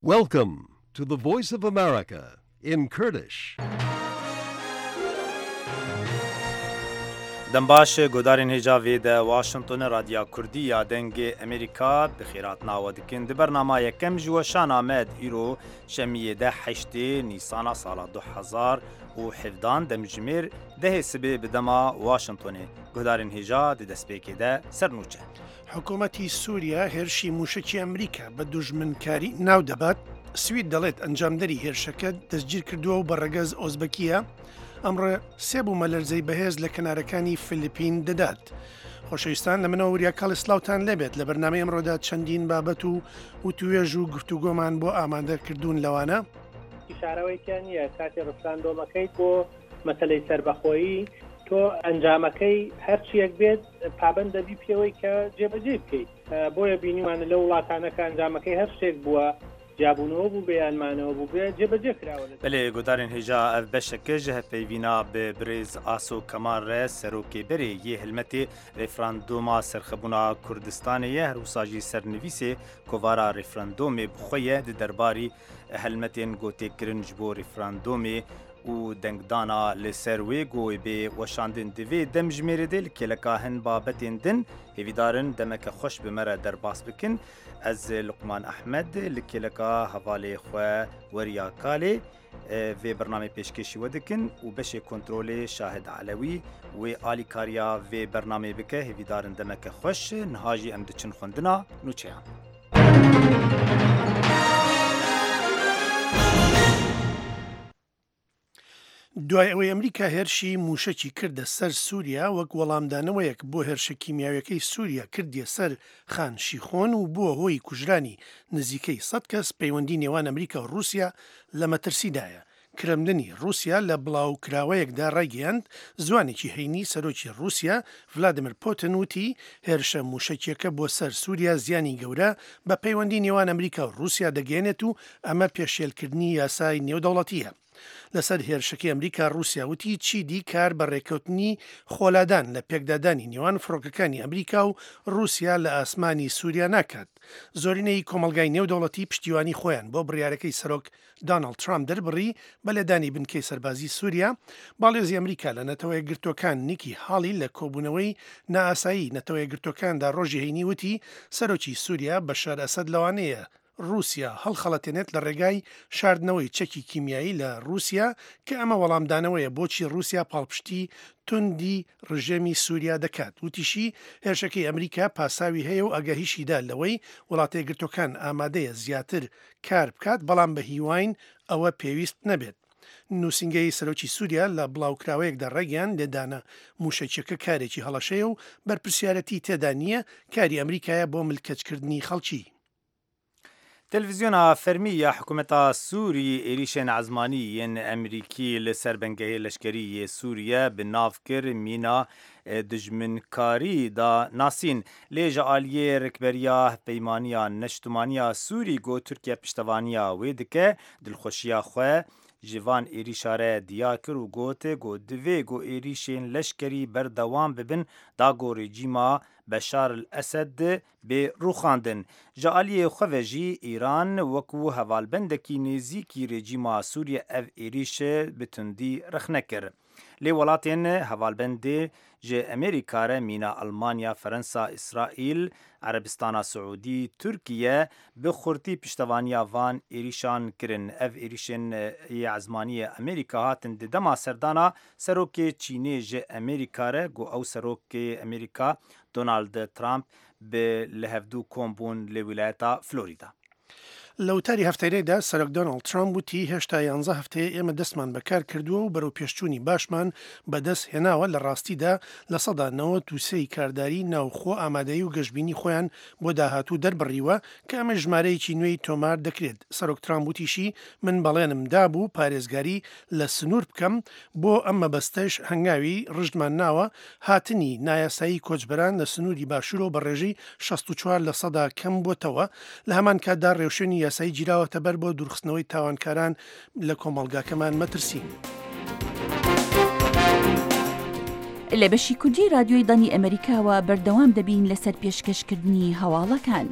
Welcome to the Voice of America in Kurdish. Dem baş guhdarên hêja vê de Washingtonê Radya Kurdî ya Dengê Amerîka bi xêratina we dikin. Di bernama yekem ji weşana me di îro şemiyê de heştê Nîsana sala 2017 demjimêr dehê sibê bi dema Washingtonê. Guhdarên hêja di destpêkê de ser nûçe. حکومەتی سووریا هێرشی مووشەکی ئەمریکا بە دوژمنکاری ناو دەبات، سوید دەڵێت ئەنجامدەری هێرشەکە دەستگیرکردووە و بە ڕەگەز ئۆزبەکییە، ئەمڕۆ سێ بوومەلەرزەی بەهێز لە کەنارەکانی فلیپین دەدات. خۆشەویستان لە منەوە وریا کاڵی سلااوان لێبێت لە بەرنامەی ئەمڕۆدا چەندین بابەت و وتوێژ و گفتوگۆمان بۆ ئامادە کردوون لەوانە. شارەوەی تیا نییە کاتی ڕفراندۆمەکەیت بۆ مەسەلەی سەربەخۆیی تۆ ئەنجامەکەی هەرچیەک بێت پابەند دەبی پێوەی کە جێبەجێ بکەیت بۆیە بینیمانە لە وڵاتانە کە ئەنجامەکەی هەر شتێک بووە جیابوونەوە بوو بێ یان مانەوە بوو بێ جێبەجێ کراوە. Belê guhdarên hêja ev beşeke ji hevpeyvîna bi birêz Aso Kemal re serokê berê yê hilmetê referandoma serxebûna Kurdistanê ye her wisa jî sernivîsê kovara referandomê bi xwe ye di derbarî helmetên ku tê kirin ji bo referandomê û dengdana li ser wê ku wê bê weşandin di vê demjimêrê de li kêleka hin babetên din hêvîdar in demeke xweş bi me re derbas bikin. Ez Luqman Ehmed li kêleka hevalê xwe Weriya Kalê vê bernameyê pêşkêşî we dikin û beşê kontrolê Şahid Elewî wê alîkariya vê bernameyê bike. Hêvîdar in demeke xweş. Niha jî em diçin xwendina nûçeyan. دوای ئەوەی ئەمریکا هێرشی مووشەکی کردە سەر سووریا وەک وەڵامدانەوەیەک بۆ هێرشە کیمیاویەکەی سووریا کردیە سەر خان شیخۆن و بووە هۆی کوژرانی نزیکەی سەد کەس، پەیوەندی نێوان ئەمریکا و ڕووسیا لە مەترسیدایە. کرملنی ڕووسیا لە بڵاوکراوەیەکدا ڕایگەیاند، زوانێکی هەینی سەرۆکی ڕووسیا ڤلادیمیر پوتن وتی، هێرشە مووشەکیەکە بۆ سەر سووریا زیانی گەورە بە پەیوەندی نێوان ئەمریکا و ڕووسیا دەگەیەنێت و ئەمە پێشێلکردنی یاسای نێودەوڵەتییە. لەسەر هێرشەکەی ئەمریکا، ڕووسیا وتی چیدی کار بە ڕێککەوتنی خۆلادان لە پێکدادانی نێوان فڕۆکەکانی ئەمریکا و ڕووسیا لە ئاسمانی سووریا ناکات. زۆرینەی کۆمەڵگای نێودەوڵەتی پشتیوانی خۆیان بۆ بڕیارەکەی سەرۆک داناڵد ترامپ دەربڕی بە لێدانی بنکەی سەربازی سووریا، باڵیۆزی ئەمریکا لە نەتەوەیەکگرتووەکان نیکی هاڵی لە کۆبوونەوەی نائاسایی نەتەوەیەکگرتووەکاندا ڕۆژی هەینی وتی سەرۆکی سووریا بەشار ئەسەد لەوانەیە ڕووسیا هەڵخەڵەتێنێت لە ڕێگای شاردنەوەی چەکی کیمیایی لە ڕووسیا کە ئەمە وەڵامدانەوەیە بۆچی ڕووسیا پاڵپشتی توندی ڕژێمی سووریا دەکات. وتیشی، هێرشەکەی ئەمریکا پاساوی هەیە و ئاگاهیشی دا لەوەی وڵاتەیەکگرتووەکان ئامادەیە زیاتر کار بکات، بەڵام بە هیواین ئەوە پێویست نەبێت. نووسینگەی سەرۆکی سووریا لە بڵاوکراوەیەکدا ڕایگەیاند، لێدانە مووشەکییەکە کارێکی هەڵەشەیە و بەرپرسیارەتی تێدا نییە، کاری ئەمریکایە بۆ ملکەچکردنی خەڵکی. تەلەڤیزیۆنا فەرمی ya hikûmeta Sûrî êrîşên ezmanî yên Emerîkî li ser bingehê leşkerî yê Sûriye bi nav kir mîna dijminkarî da nasîn. Lê ji aliyê rikberiya Hevpeymaniya Neştimaniya Sûrî ku Tirkiye piştevaniya wê dike dilxweşiya xwe ji van êrîşa re diyar kir û got ku divê ku êrîşên leşkerî berdewam bibin da ku rejîma Beşar el Esed bê rûxandin. Ji aliyê xwe ve jî Îran wekû hevalbendekî nêzîkî rejîma Sûriye ev êrîş bi tundî rexne kir. Lê welatên hevalbendê ji Amerîka re mîna Elmanya, Ferensa, Îsraîl, Erebistana Siûdî, Tirkiye bi xurtî piştevaniya van êrîşan kirin. Ev êrîşên yê ezmaniyê Amerîka hatin di dema serdana serokê Çînê ji Amerîka re ku ew serokê Amerîka Donald Trump bi li hevdû kom bûn li wîlayeta Florîda. لە وتاری هەفتەیەدا سەرۆک دۆناڵد ترامپ وتی هێشتا یانزە هەفتەیە ئێمە دەستمان بە کار کردووە و بەرەوپێشچوونی باشمان بەدەست هێناوە، لە ڕاستیدا 93% ی کارداری ناوخۆ ئامادەیی و گەشبینی خۆیان بۆ داهاتوو دەربڕیوە کە ئەمەش ژمارەیەکی نوێی تۆمار دەکرێت. سەرۆک ترامپ وتیشی من بەڵێنم دابوو پارێزگاری لە سنوور بکەم، بۆ ئەم مەبەستەش هەنگاوی ڕژدمان ناوە، هاتنی نایاسایی کۆچبەران لە سنووری باشوورەوە بە ڕێژەی 64 لەسەدا کەم بۆتەوە، لە هەمان کاتدا ڕێوشوێنی یاسایی گیراوەتە بەر بۆ دوورخستنەوەی تاوانکاران لە کۆمەڵگاکەمان مەترسین. لە بەشی کوردی رادیۆی دەنگی ئەمەریکاوە بەردەوام دەبین لەسەر پێشکەشکردنی هەواڵەکان.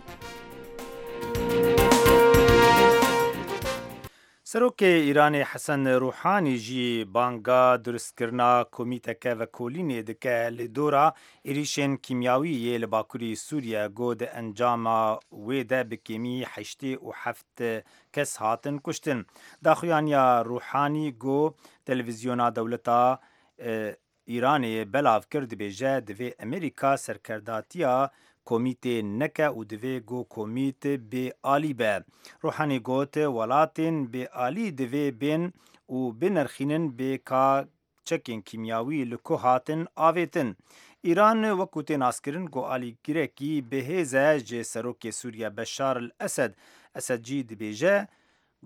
Serokê Îranê Hesen Rûhanî jî banga dirustkirina komîteke vekolînê dike li dora êrîşên kîmyawî yê li bakurî Sûriye ku di encama wê de bi kêmî 87 kes hatin kuştin. Daxuyaniya Rûhanî ku televîzyona dewleta Îranê belav kir dibêje divê Amerîka serkerdatiya komîtê neke û divê ku komît bê alî be. Ruhanî got welatên bê alî divê bên û binirxînin bê ka çekên kîmyawî li ku hatin avêtin. Îran wekû tê naskirin ku alîgirekî bihêz e ji Serokê Sûriye Beşar El Esed. Esed jî dibêje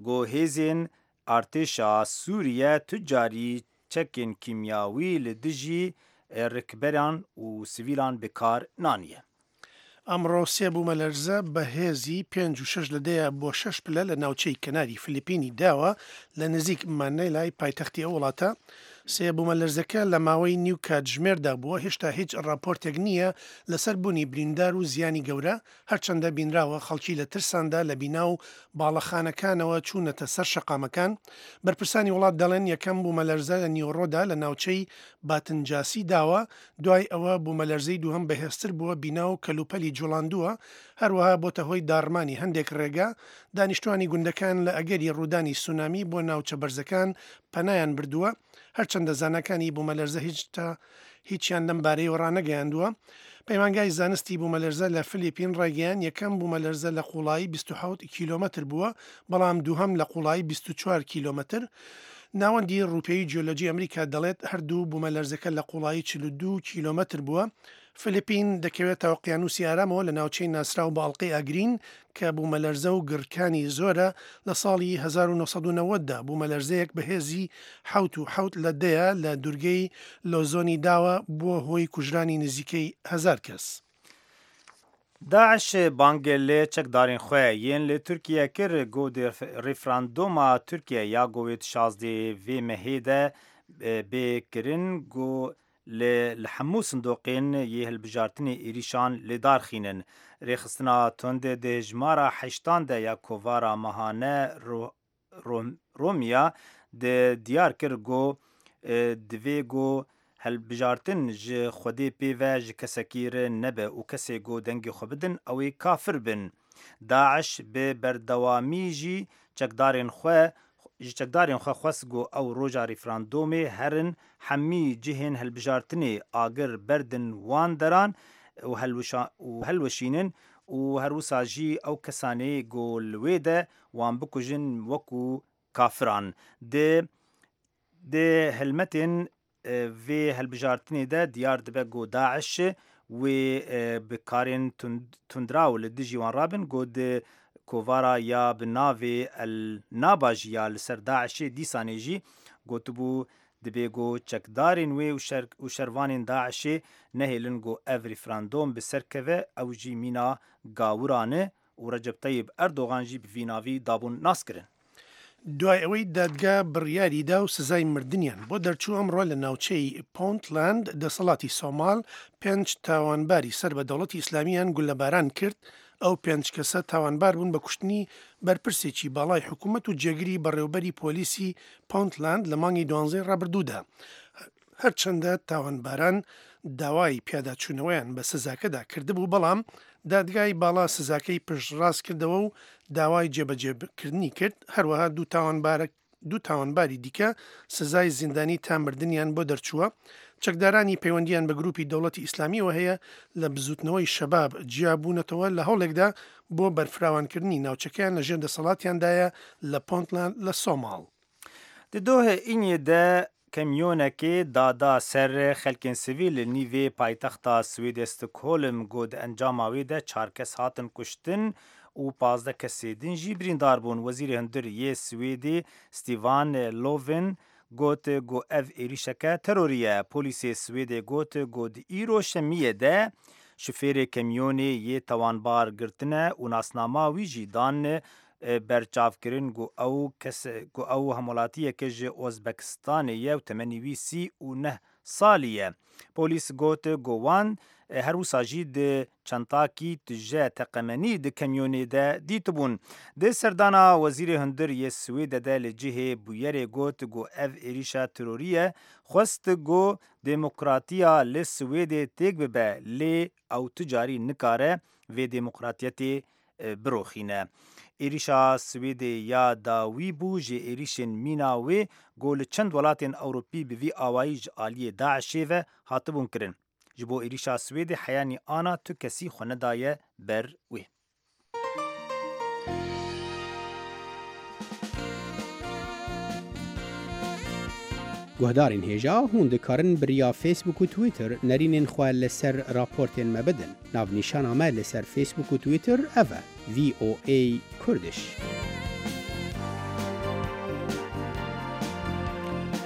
ku hêzên Artêşa Sûriye tu carî çekên kîmyawî li dijî rikberan û sivîlan bi kar naniye. ئەمڕۆ سێ بوومەلەرزە بە هێزی پێنج و شەش لە دەیە بۆ شەش پلە لە ناوچەی کەناری فلیپینی داوە لە نزیک مانێلای پایتەختی ئەو وڵاتە. سێ بوومەلەرزەکە لە ماوەی نیو کاتژمێردا بووە، هێشتا هیچ ڕاپۆرتێک نییە لەسەر بوونی بریندار و زیانی گەورە، هەرچەندە بینراوە خەڵکی لە ترساندا لە بینا و باڵەخانەکانەوە چوونەتە سەر شەقامەکان، بەرپرسانی وڵات دەڵێن یەکەم بوومەلەرزە لە نیوەڕۆدا لە ناوچەی باتنجاسی داوە، دوای ئەوە بوومەلەرزەی دووهەم بەهێزتر بووە بینا و کەلوپەلی جوڵاندووە، هەروەها بۆتە هۆی داڕمانی هەندێک ڕێگا، دانیشتوانی گوندەکان لە ئەگەری ڕوودانی سونامی بۆ ناوچە بەرزەکان پەنایان بردووە، هەرچەندە زاناکانی بوومەلەرزە هیچتا هیچیان لەم بارەیەوە ڕانەگەیاندووە. پەیمانگای زانستی بوومەلەرزە لە فلیپین ڕایگەیاند، یەکەم بوومەلەرزە لە قووڵایی 27 کیلۆمەتر بووە، بەڵام دووهەم لە قووڵایی 24 کیلۆمەتر. ناوەندی ڕووپێوی جیۆلۆجی ئەمریکا دەڵێت، هەردوو بوومەلەرزەکە لە قووڵایی 42 کیلۆمەتر بووە. فلیپین دەکەوێتە ئۆقیانوسی ئارامەوە لە ناوچەی ناسراو بە ئەڵقەی ئاگرین کە بوومەلەرزە و گڕکانی زۆرە، لە ساڵی 1990 دا بوومەلەرزەیەک بە هێزی حەوت و حەوت لە دەیە لە دورگەی لۆزۆنی داوە بووە هۆی کوژرانی نزیکەی هەزار کەس. داعش بانگ li çekdarên xwe yên li Tirkiye kir ku di referandoma Tirkiye ya ku wê di şazdeh vê mehê de bê kirin ku Li li hemû sindoqên yê hilbijartinê êrîşan li dar xînin. Rêxistina tund di hejmara heştan de ya kovara mehane Romiya di diyar kir ku divê ku hilbijartin ji Xwedê pê ve ji kesekî re nebe û kesê ku dengê xwe bidin ew ê kafir bin. Daiş bi berdewamî jî çekdarên xwe ji çekdarên xwe xwest ku ew roja referandomê herin hemî cihên hilbijartinê agir berdin wan deran û hilweşînin û herwisa jî ew kesanê ku li wê de wan bikujin wekû kafiran. Di di hilmetên Vê hilbijartinê de diyar dibe ku daiş wê bi karên tundraw li dijî wan rabin ku di kovara ya bi navê El Naba jî ya li ser DAIŞ'ê dîsanê jî gotibû dibê ku çekdarên wê û şervanên DAIŞ'ê nehêlin ku ev referandom bi ser keve ew jî mîna gawiran e û Recep Tayyip Erdogan jî bi vî navî dabûn naskirin. دوای ئەوەی دادگا بڕیاری دا و سزای مردنیان بۆ دەرچوو ئەمڕۆ لە ناوچەی پۆنتلاند دەسەڵاتی سۆماڵ پێنج تاوانباری سەر بە دەوڵەتی ئیسلامیان گوللەباران کرد، ئەو پێنج کەسە تاوانبار بوون بە کوشتنی بەرپرسێکی باڵای حکومەت و جێگری بەڕێوبەری پۆلیسی پۆنتلاند لە مانگی دوانزەی ڕابردوودا. هەرچەندە تاوانباران داوای پیاداچوونەوەیان بە سزاکەدا کردبوو، بەڵام دادگای باڵا سزاکەی پشتڕاست کردەوە و داوای جێبەجێکردنی کرد، هەروەها دوو تاوانباری دیکە سزای زیندانی تا مردنیان بۆ دەرچووە. چەکدارانی پەیوەندییان بە گروپی دەوڵەتی ئیسلامییەوە هەیە لە بزووتنەوەی شەباب جیابوونەتەوە لە هەوڵێکدا بۆ بەرفراوانکردنی ناوچەکەیان لەژێر دەسەڵاتیاندایە لە پۆنتلاند لە سۆماڵ. Di dohê îniyê de Kamyonekê dada ser xelkên sivîl li nîvê paytexta Swêdê Stockholm ku di encama wê de çar kes hatin kuştin û 15 kesê din jî birîndar bûn. Wezîrê Hundir yê Swêdê Stefan Löfven got ku ev êrîşeke terorî ye. Polîsê Swêdê got ku di îro şemiyê de şofêrê kamyonê yê tawanbar girtine û nasnama wî jî dan berçavkirin ku ew kes ku ew hemwelatiyeke ji Ozbekistanê ye û temenî wî 39 salî ye. Polîs got ku wan Her wisa jî di çentakî tije teqemenî di kemyonê de dîtibûn. Di serdana Wezîrê Hundir yê Swêde de li cihê bûyerê got ku ev êrîşa terorî ye, xwest ku demokratiya li Swêdê têk bibe lê ew tu carî nikare vê demokratiyetê biroxîne. Êrîşa Swêdê ya dawî bû ji êrîşên mîna wê ku li çend welatên Ewropî bi vî awayî ji aliyê DAIŞ'ê ve hatibûn kirin. Ji bo êrîşa Swêdê heyanî ana tu kesî xwe nedaye ber wê. Guhdarên hêja hûn dikarin bi riya Facebook û Twitter nerînên xwe li ser raportên me bidin. Navnîşana me li ser Facebook û Twitter ev e, VOA Kurdish.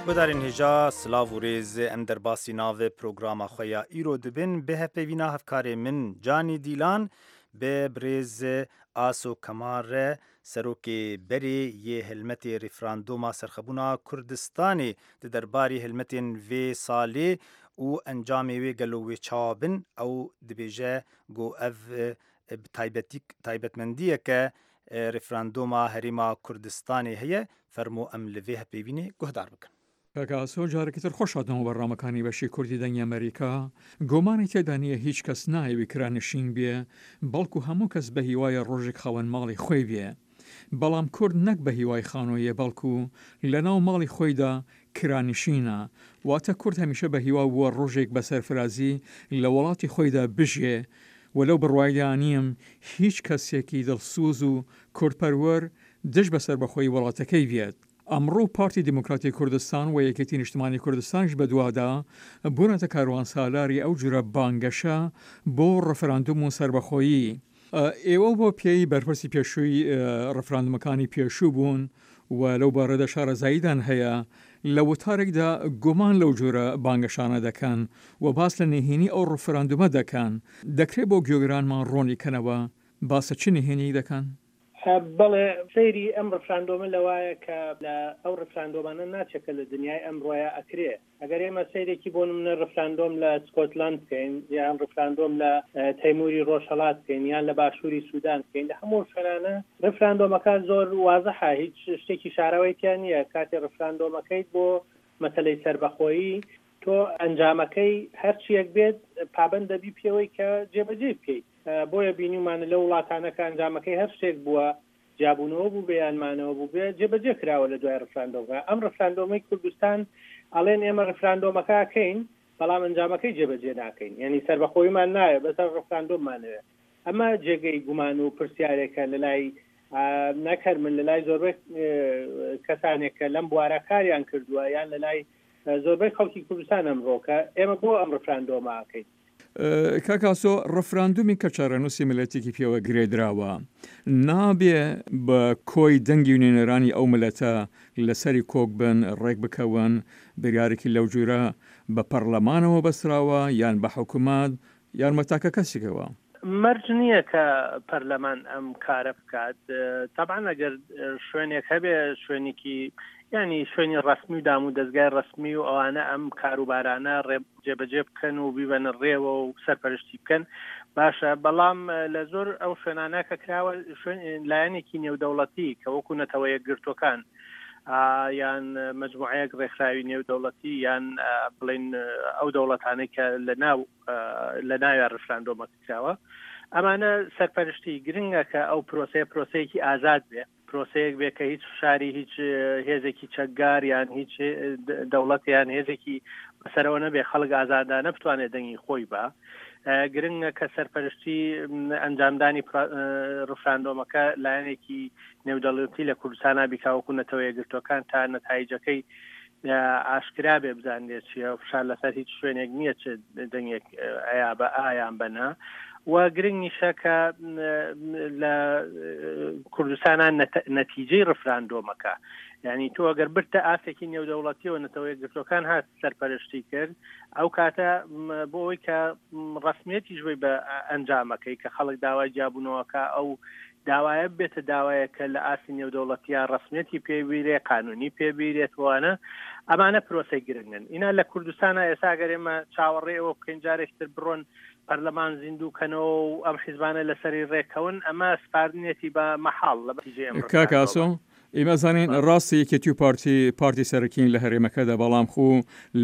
Guhdarên hêja silav û rêz em derbasî navê programa xwe ya îro dibin bi hevpeyvîna hevkarê min Canî Dîlan bi birêz Aso Kemal re Serokê berê yê hilmetê referandoma serxebûna Kurdistanê di derbarê hilmetên vê salê û encamê wê gelo wê çawa bin, ew dibêje ku ev bi taybetî taybetmendiyeke referandoma Herêma Kurdistanê heye, fermo em li vê hevpeyvînê guhdar bikin. Kak Aso careke tir xweş hatin bernamekani beşê Kurdî Dengê Amerîka. Gomanê têda niye hîç kes nayê wî kiranişîn bîye, belku hemû kes be hîwayê rojek xewen malê xwê bîye. Belam Kurd nek be hîway xanoyê belku le naw malê xwey de kiranişîn e. Wate Kurd hemîşe be hîwa bûwe rojêk be serfirazî le welatê xwey de bijyê. We lew birwayê de anîm hîç kesekî dilsoz û kurdperwer dij be serbexweyî welatekey bîyet. ئەمڕۆ پارتی دیموکراتی کوردستان و یەکێتی نیشتمانی کوردستانیش بەدوادا بوونەتە کاروانسالاری ئەو جورە بانگەشە بۆ ڕفراندوم و سەربەخۆیی. ئێوە بۆ پێی بەرپرسی پێشووی ڕفراندومەکانی پێشوو بوون و لەو بارەدا شارەزاییتان هەیە، لە وتارێکدا گومان لەو جورە بانگەشانە دەکەن و باس لە نهێنی ئەو ڕفراندومە دەکەن، دەکرێ بۆ گوێگرانمان ڕوونی کەنەوە باس لە چ نهێنییەک دەکەن؟ بەڵێ سەیری ئەم ڕفراندۆمە لەوایە کە لە ئەو ڕفراندۆمانە ناچێ کە لە دنیای ئەمڕۆیا ئەکرێ. ئەگەر ئێمە سەیرێکی بۆ نمونە ڕفراندۆم لە سکۆتلەند بکەین یان ڕفراندۆم لە تەیموری ڕۆژهەڵات بکەین یان لە باشووری سوودان بکەین لە هەموو شوێنانە ڕفراندۆمەکە زۆر وازحە هیچ شتێکی شاراوەی تیا نییە کاتێ ڕفراندۆمەکەیت بۆ مەسەلەی سەربەخۆیی تۆ ئەنجامەکەی هەرچیەک بێت پابەند دەبی پێوەی کە جێبەجێی بکەیت. بۆیە بینیومانە لەو وڵاتانە کە ئەنجامەکەی هەر شتێک بووە، جیابوونەوە بووبێ یان مانەوە بووبێ، جێبەجێ کراوە لە دوای ڕفراندۆمەکە. ئەم ڕفراندۆمەی کوردستان ئەڵێن ئێمە ڕفراندۆمەکە ئەکەین، بەڵام ئەنجامەکەی جێبەجێ ناکەین. یانی سەربەخۆییمان ناوێ، بەس هەر ڕفراندۆممان ئەوێ. ئەمە جێگەی گومان و پرسیارێکە لە لای نەک هەر من، لە لای زۆربەی کەسانێک کە لەم بوارە کاریان کردووە یان لە لای زۆربەی خەڵکی کوردستان ئەمڕۆ کە ئێمە بۆ ئەم ڕفراندۆمە ئەکەین. کاک ئاسۆ، ڕفراندومی کە چارەنووسی میللەتێکی پێوە گرێدراوە، نابێ بە کۆی دەنگی نوێنەرانی ئەو میللەتە لەسەری کۆک بن، ڕێک بکەون، بریارێکی لەو جورە بە پەڕلەمانەوە بەستراوە یان بە حکومەت یان بە تاکە کەسێکەوە؟ مەرج نییە کە پەرلەمان ئەم کارە بکات، تەبعەن ئەگەر شوێنێک هەبێ شوێنێکی یانی شوێنی ڕەسمی و دام و دەزگای ڕەسمی و ئەوانە ئەم کاروبارانە ڕێ جێبەجێ بکەن و بیبەنە ڕێوە و سەرپەرشتی بکەن باشە، بەڵام لە زۆر ئەو شوێنانە کە کراوە شوێن لایەنێکی نێودەوڵەتی کە وەکو نەتەوە یەکگرتووەکان یان مەجموعەیەک ڕێکخراوی نێودەوڵەتی یان بڵێن ئەو دەوڵەتانەی کە لە ناو لە ناویان ڕفراندۆمەکە کراوە ئەمانە سەرپەرشتی گرنگە کە ئەو پرۆسەیە پرۆسەیەکی ئازاد بێ پرۆسەیەک بێ کە هیچ فشاری هیچ هێزێکی چەکگار یان هیچ دەوڵەت یان هێزێکی بەسەرەوە نەبێ خەڵک ئازادانە بتوانێت دەنگی خۆی بە گرنگە کە سەرپەرشتی ئەنجامدانی ڕفراندۆمەکە لایەنێکی نێودەڵەتی لە کوردستانا بیکا وەکو نەتەوە یەکگرتووەکان تا نەتایجەکەی ئاشکرا بێ بزانرێت چییە فشار لەسەر هیچ شوێنێک نییە چ دەنگێک ئەیا بە ئایان بەنا و گرنگیشە کە لە کوردستانە نەتیجەی ڕفراندۆمەکە یعنی تۆ ئەگەر برتە ئاستێکی نێودەوڵەتیەوە نەتەوە یەکگرتوەکان هات سەرپەرشتی کرد ئەو کاتە بۆ ئەوەی کە ڕسمیەتیش بی بە ئەنجامەکەی کە خەڵک داوای جیابوونەوەکە ئەو داوایە ببێتە داوایەک کە لە ئاستی نێودەوڵەتیا ڕەسمیەتی پێ بیرێ، قانونی پێ بیرێت وانە. ئەمانە پرۆسەی گرنگن. ئینا لە کوردستانا ئێستا ئەگەر ئێمە چاوەڕێی ئەوە بکەین جارێکی تر بڕۆن پەرلەمان زیندوو کەنەوە و ئەم حیزبانە لەسەری ڕێککەون، ئەمە سپاردنیەتی بە مەحاڵ لە نەتیجەی ئەم کاک ئاسۆ، ڕفراندۆمە. ئێمە ئەزانین ڕاستە یەکێتی و پارتی پارتی سەرەکین لە هەرێمەکەدا، بەڵام خو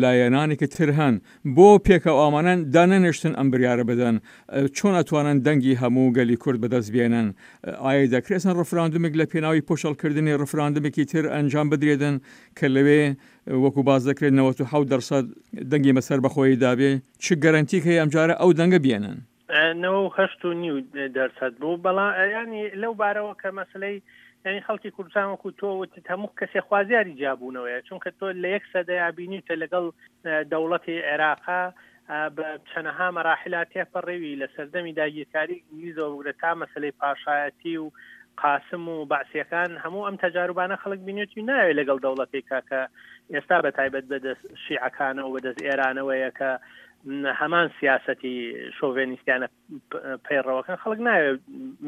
لایەنانێکی تر هەن، بۆ پێکەوە ئامانەن دانەنێشتن ئەم بریارە بدەن؟ چۆن ئەتوانن دەنگی هەموو گەلی کورد بەدەست بێنن؟ ئایا دەکرێت ڕفراندومێک لە پێناوی پوچەڵکردنی ڕفراندومێکی تر ئەنجام بدرێتن کە لەوێ وەکو باس دەکرێت 97 دەرسەد دەنگی بە سەربەخۆیی دابێ؟ چ گەرەنتیک هەیە ئەمجارە ئەو دەنگە بێنن؟ 98 و نیو دەرسەد بوو، بەڵام یانی لەو بارەوە کە مەسلەی یانی خەڵکی کوردستان وەکو تۆ وتت هەموو کەسێ خوازیاری جیابوونەوەیە، چونکە تۆ لە یەک سەدەیا بینیوتە لەگەڵ دەوڵەتی عێراقا بە چەنەها مەراحیلا تێپەڕیوی لە سەردەمی داگیرکاری ئینگلیزەوە بگرە تا مەسەلەی پاشایەتی و قاسم و بەعسیەکان هەموو ئەم تەجاروبانە خەڵک بینێتی و ناوێت لەگەڵ دەوڵەتێکا کە ئێستا بە تایبەت بەدەست شیعەکانەوە بەدەست ئێرانەوەیە کە هەمان سیاسەتی شۆڤێنیستیانە پەیڕەوەکەن خەڵک ناوێت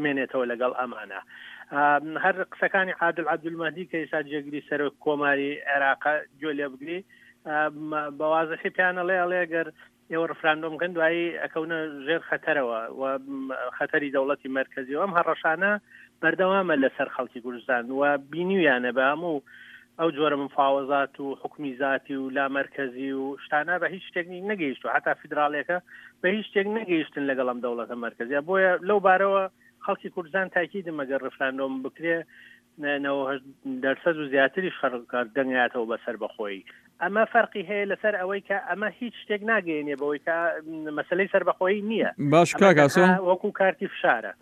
مێنێتەوە لەگەڵ ئەمانە هەر قسەکانی عادل عەبدولمەهدی کە ئێستا جێگری سەرۆک کۆماری عێراقە گوێ لێ بگری بە وازحی پێیان ئەڵێ ئەڵێ گەر ئێوە ڕفراندۆم بکەن دوایی ئەکەونە ژێر خەتەرەوە و خەتەری دەوڵەتی مەرکەزی و ئەم هەڕەشانە بەردەوامە لەسەر خەڵکی کوردستان و بینیویانە بە هەموو ئەو جۆرە مفاوەزات و حکومی زاتی و لامەرکەزی و شتانە بە هیچ شتێک نەگەیشتوە هەتا فیدراڵیەکە بە هیچ شتێک نەگەیشتن لەگەڵ ئەم دەوڵەتە مەرکەزیە بۆیە لەو بارەوە خەڵکی کوردستان تاکیدم ئەگەر ڕفراندۆم بکرێ 98 دەرسەد و زیاتریش خەڵک دەنگاتەوە بە سەربەخۆیی ئەمە فەرقی هەیە لەسەر ئەوەی کە ئەمە هیچ شتێک ناگەیەنێ بەوەی کە مەسلەی سەربەخۆیی نییە باش ئەمە کاک ئاسۆ تەنها وەکو کارتی فشارە.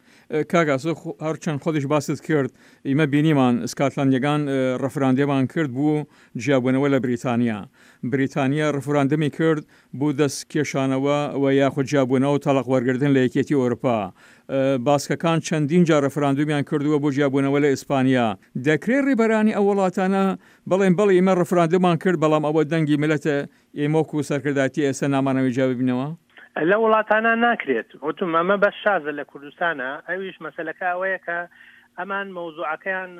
کاک ئاسۆ هەرچەند خۆتیش باست کرد ئیمە بینیمان سکاتلەندیەکان ڕفراندێمان کرد بو جیابونەوە لە بریتانیا بریتانیا ڕفراندمی کرد بو دەست کێشانەوە و یاخود جیابونەوە و تەڵاق وەرگرتن لە یەکێتی ئەوروپا باسکەکان چەندین جار ڕفراندومیان کردوە بۆ جیابونەوە لە ئیسپانیا دەکرێ ڕیبەرانی ئەو وڵاتانە بڵێن بەڵی ئیمە ڕفراندومان کرد بەڵام ئەوە دەنگی میللەتە ئێمە وەکو سەرکردایەتی ئێستا نامانەوێ جیا ببینەوە؟ لە وڵاتانا ناکرێت. وتم ئەمە بەس شازە لە کوردستانا، ئەویش مەسەلەکە ئەوەیە کە ئەمان مەوزوعەکەیان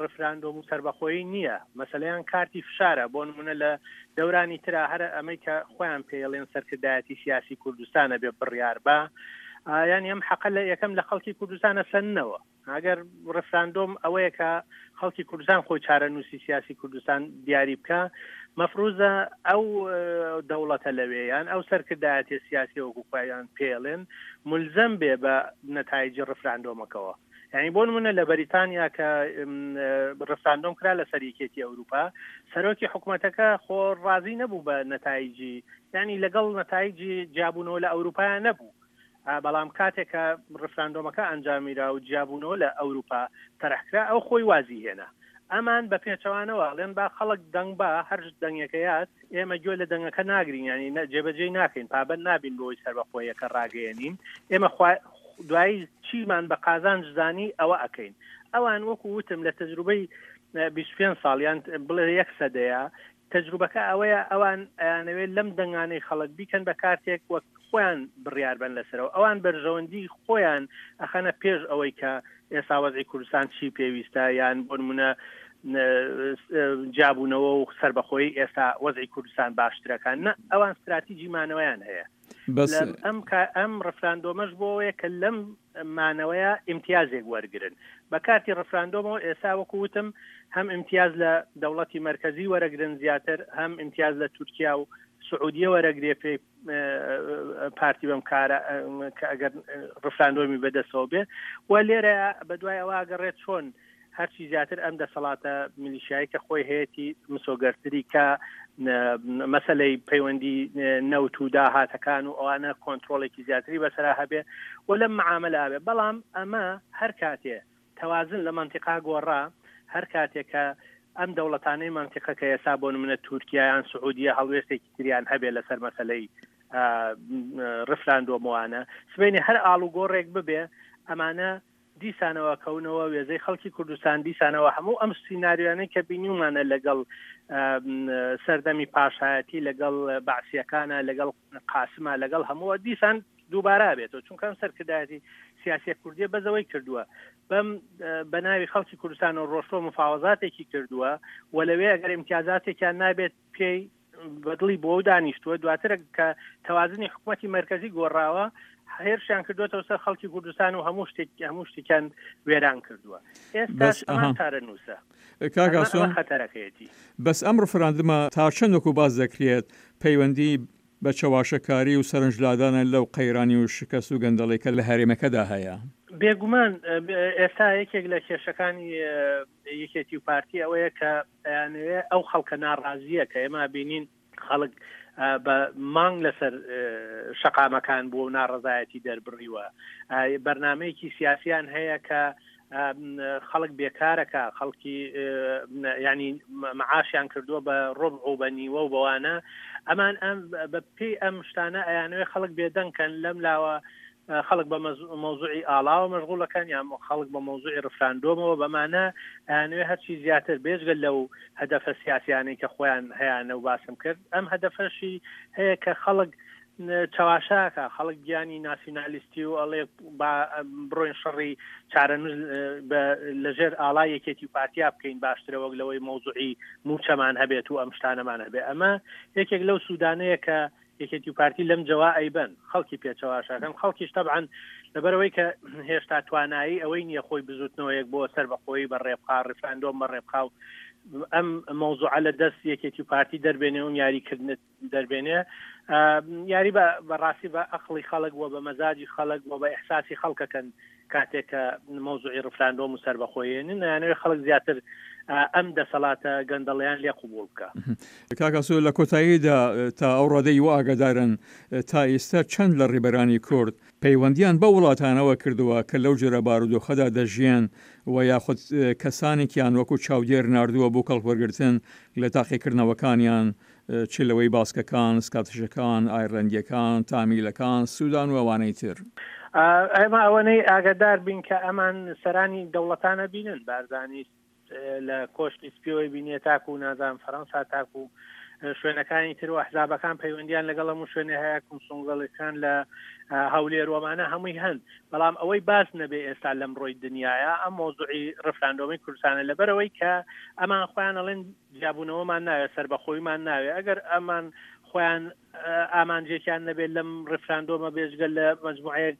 ڕفراندۆم و سەربەخۆیی نییە، مەسەلەیان کارتی فشارە، بۆ نمونە لە دەورانی ترا هەر ئەمەی کە خۆیان پێیەڵێن سەرکردایەتی سیاسی کوردستان ئەبێ بڕیار با، یانی ئەم حەقە لە یەکەم لە خەڵکی کوردستان ئەسەننەوە. ئەگەر ڕفراندۆم ئەوەیە کە خەڵکی کوردستان خۆی چارەنووسی سیاسی کوردستان دیاری بکە مەفروزە ئەو دەوڵەتە لەوێ یان ئەو سەرکردایەتی سیاسی وەکو خۆیان پێڵێن ملزەم بێ بە نەتایجی ڕفراندۆمەکەوە یعنی بۆ نمونە لە بەریتانیا کە ڕفراندۆم کرا لەسەر یەکێتی ئەوروپا سەرۆکی حکوومەتەکە خۆ ڕازی نەبوو بە نەتایجی یعنی لەگەڵ نەتایجی جیابوونەوە لە ئەوروپا نەبوو بەڵام کاتێک کە ڕفراندۆمەکە ئەنجامیرا و جیابوونەوە لە ئەوروپا تەرحکرا ئەو خۆی وازی هێنا. ئەمان بە پێچەوانەوە ئەڵێن با خەڵک دەنگ با هەر دەنگێکەیات ئێمە گوێ لە دەنگەکە ناگرین یانی جێبەجێی ناکەین پابەند نابین بەوەی سەربەخۆیەکە ڕاگەیەنین ئێمە دوایی چیمان بە قازانج زانی ئەوە ئەکەین. ئەوان وەکو وتم لە تەجروبەی 25 ساڵ یان بڵێ یەک سەدەیە تەجروبەکە ئەوەیە ئەوان ئەیانەوێت لەم دەنگانەی خەڵک بیکەن بە کارتێک وەک خۆیان بڕیار بەن لەسەرەوە ئەوان بەرژەوەندی خۆیان ئەخەنە پێش ئەوەی کە ئێستا وەزعی کوردستان چی پێویستە یان بۆ نمونە جیابوونەوە و سربەخۆیی ئێستا وەزعی کوردستان باشترەکان نە ئەوان استراتیجی مانەوەیان هەیە بەس ئەم ئەم ڕفراندۆمەش بۆەیە کە لەم مانەوەیە ئیمتیازێک وەرگرن بە کارتی ڕفراندۆمەوە ئێستا وەکو وتم هەم ئیمتیاز لە دەوڵەتی مەرکەزی وەرەگرن زیاتر هەم ئیمتیاز لە تورکیا و سعودیە وەرەگرێ پێی پارتی بەم کارە کە ئەگەر ڕفراندۆمی بەدەستەوە بێ و لێرە بەدوای ئەوە گەڕێت چۆن هەرچی زیاتر ئەم دەسەڵاتە میلیشیایی کە خۆی هەیەی مسۆگەرتری کە مەسلەی پەیوەندی نەوت و داهاتەکان و ئەوانە کۆنتترۆلێکی زیاتری بەسرا هەبێ و لەم معاملە بێ بەڵام ئەمە هەر کاتێ تەوازن لە مەنتیقا گۆڕا هەر کاتێک کە ئەم دەوڵەتانەی مەنتیقە کە ئێستا بۆ نمونە تورکیا یان سعودیە هەڵوێستێکی تریان هەبێ لەسەر مەسلەی ڕفراندۆمەوانە سبەینێ هەر ئاڵوگۆڕێک ببێ ئەمانە دیسانەوە کەونەوە وێزەی خەڵکی کوردستان دیسانەوە هەموو ئەم سیناریۆیانەی کە بینیومانە لەگەڵ سەردەمی پاشایەتی لەگەڵ بەعسیەکانە لەگەڵ قاسمە لەگەڵ هەمووە دیسان دووبارە بێتەوە چونکە ئەم سەرکردایەتی سیاسیە کوردیە بەزەوەی کردووە بەم بە ناوی خەڵکی کوردستان و ڕۆشتوە مفاوەزاتێکی کردووە و لەوێ ئەگەر امتیازاتێکیان نابێت پێی بەدڵی بۆ دانیشتووە دواتر کە تەوازنی حکوومەتی مرکزی گۆڕاوە هێرشیان کردوێتەوە سەر خەڵکی کوردستان و هەموو شتێک هەموو شتێکیان وێران کردووە. ئێستاش ئەمان چارەنووسە. کاک ئاسۆ خەتەرەکەیەتی. بەس ئەم ڕفراندمە تا چەند وەکو باس دەکرێت پەیوەندی بە چەواشەکاری و سەرنج لادانە لەو قەیرانی و شکەست و گەندەڵی کە لە هەرێمەکەدا هەیە؟ بێگومان ئێستا یەکێک لە کێشەکانی یەکێتی و پارتی ئەوەیە کە ئەیانەوێ ئەو خەڵکە ناڕازییە کە ئێمە بینین خەڵک بە مانگ لەسەر شەقامەکان بووە و ناڕەزایەتی دەربڕیوە بەرنمەیەکی سیاسیان هەیە کە خەڵک بێکارەکە خەڵکی ینی معاشیان کردووە بە ڕۆبع و بە نیوە و بەوانە ئەمان ئەم بە پێی ئەم شتانە ئەیانەوێ خەڵک بێدەنگکەن لەم لاوە خەڵک بە مەوزوعی ئاڵاوە مەشغوڵەکەن یان خەڵک بە مەوزوعی ڕفراندۆمەوە بەمانە ئەیانەوێ هەرچی زیاتر بێجگە لەو هەدەفە سیاسیانەی کە خۆیان هەیانە و باسم کرد ئەم هەدەفەشی هەیە کە خەڵک چەواشاکە خەڵک گیانی ناسیونالیستی و ئەڵێ با بڕۆین شەڕی چارەنووس لەژێر ئاڵا یەکێتی و پارتیا بکەین باشترە وەک لەوەی مەوزوعی موچەمان هەبێت و ئەم شتانەمان هەبێت ئەمە یەکێک لەو سوودانەیە کە یەکێتی و پارتی لەم جەوا ئەیبەن خەڵکی پێچەواشەکەن خەڵکیش تەبعەن لەبەرەوەی کە هێشتا توانایی ئەوەی نییە خۆی بزوتنەوەیەک بۆ سەر بەخۆی بە ڕێبخا ڕیفراندۆم بە ڕێبخا و ئەم مەوزوعە لە دەست یەکێتی و پارتی دەربێنێ و یاریکردنت دەربێنێ یاری بە بەڕاستی بە ئەقڵی خەڵک و بە مەزاجی خەڵک و بە ئیحساسی خەڵکەکەن کاتێک کە مەوزوعی ڕفراندۆم و سەربەخۆیێنن ئەیانەوێ خەڵک زیاتر ئەم دەسەڵاتە گەندەڵیان لێ قوبوڵ بکا. کاک ئاسۆ لە کۆتاییدا تا ئەو ڕادەی وا ئاگادارن تا ئیستا چەند لە ڕیبەرانی کورد پەیوەندیان بەو وڵاتانەوە کردووە کە لەو جۆرە بارودۆخەدا دەژیێن و یاخود کەسانێکیان وەکو چاودێر ناردووە بۆ کەڵکوەرگرتن لە تاقیکردنەوەکانیان چ لەوەی باسکەکان، سکاتشەکان، ئایرلەندییەکان، تامیلەکان، سودان و ئەوانەی تر. ئێمە ئەوەنەی ئاگادار بین کە ئەمان سەرانی دەوڵەتان ئەبینن، بارزانی لە کۆشکی سپیەوەی بینیە تاکو نازانم فەرەنسا تاکو شوێنەکانی تر و ئەحزابەکان پەیوەندیان لەگەڵ هەموو شوێنێ هەیە، کونسوڵگەڵەکان لە هەولێر و ئەمانە هەمووی هەن، بەڵام ئەوەی باس نەبێ ئێستا لەمڕۆی دنیایا ئەم مەوزوعی ڕفراندۆمی کوردستانە لەبەرئەوەی کە ئەمان خۆیان ئەڵێن جیابوونەوەمان ناوێت، سەربەخۆیمان ناوێت، ئەگەر ئەمان خۆیان ئامانجێکیان نەبێت لەم ڕیفراندۆمە بێجگە لە مەجموعەیەک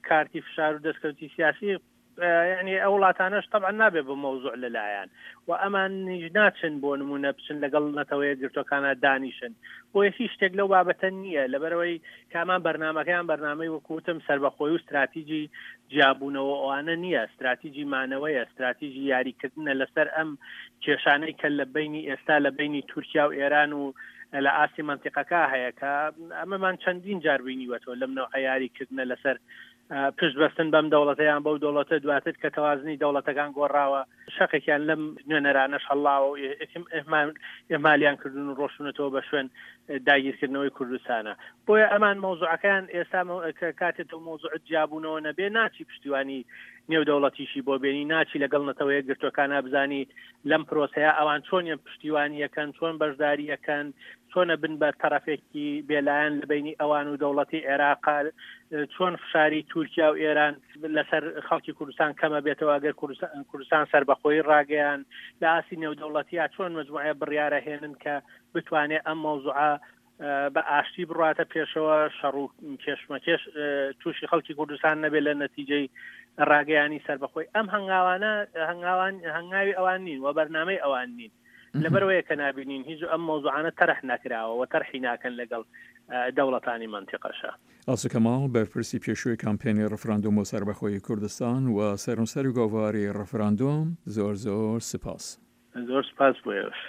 کارتی فشار و دەستکەوتی سیاسی یعنی ئەو وڵاتانەش طبعا نابێت بە مەوزوع لەلایەن و ئەمانیش ناچن بۆ نمونە بچن لەگەڵ نەتەوەیە گرتوەکانە دانیشن بۆیە هیچ شتێک لەو بابەتە نییە لەبەرەوەی کامان بەرنامەکەیان بەرنامەی وەکو وتم سەربەخۆی و ستراتیجی جیابوونەوە ئەوانە نییە، ستراتیجی مانەوەیە، ستراتیجی یاریکردنە لەسەر ئەم کێشانەی کە لە بەینی ئێستا لە بەینی تورکیا و ئێران و لە ئاستی مەنتیقەکە هەیە کە ئەمەمان چەندین جار بینیوەتەوە لەم نەوعە یاریکردنە لەسەر پشت بەستن بەم دەوڵەتە یان بەو دەوڵەتە دواتر کە تەوازنی دەوڵەتەکان گۆڕاوە شەقێکیان لەم نوێنەرانەش هەڵاوە و ئیهمالیان کردون و ڕۆشتونەتەوە بە شوێن داگیرکردنەوەی کوردستانە بۆیە ئەمان مەوزوعەکەیان ئێستا کاتێ تۆ مەوزوعت جیابوونەوە نەبێ ناچی پشتیوانی نێودەوڵەتیشی بۆ بێنی ناچی لەگەڵ نەتەوە یەکگرتووەکانا بزانی لەم پرۆسەیە ئەوان چۆنیان پشتیوانیەکەن چۆن بەشداریەکەن چۆنە بن بە تەرەفێکی بێلایەن لە بینی ئەوان و دەوڵەتی عێراق چۆن فشاری تورکیا و ئێران لەسەر خەڵکی کوردستان کەمە بێتەوە ئەگەر کوردستان سەربەخۆی ڕاگەیان لە ئاستی نێودەوڵەتیا چۆن مجموعە بڕیارە هێنن کە بتوانێت ئەم مەوزوعە بە ئاشتی بڕاتە پێشەوە شەڕ و کێشمەکێش تووشی خەڵکی کوردستان نەبێت لە نەتیجەی ڕاگەیانی سەربەخۆی ئەم هەنگاوانە هەنگاوان هەنگاوی ئەوان نین و بەرنامەی ئەوان نین لەبەرەوەیە کە نبینین هیچ ئەم مەوزوعانە تەرح نەکراوە و تەرحی ناکەن لەگەڵ دەوڵەتانی مەنتیقەشە. ئاسۆ کەماڵ، بەرپرسی پێشووی کامپێنی ڕفراندۆم بۆ سەربەخۆیی کوردستان و سەرنووسەری گۆڤاری ڕفراندۆم، زۆر زۆر سپاس. زۆر سپاس بۆ ئێوەش.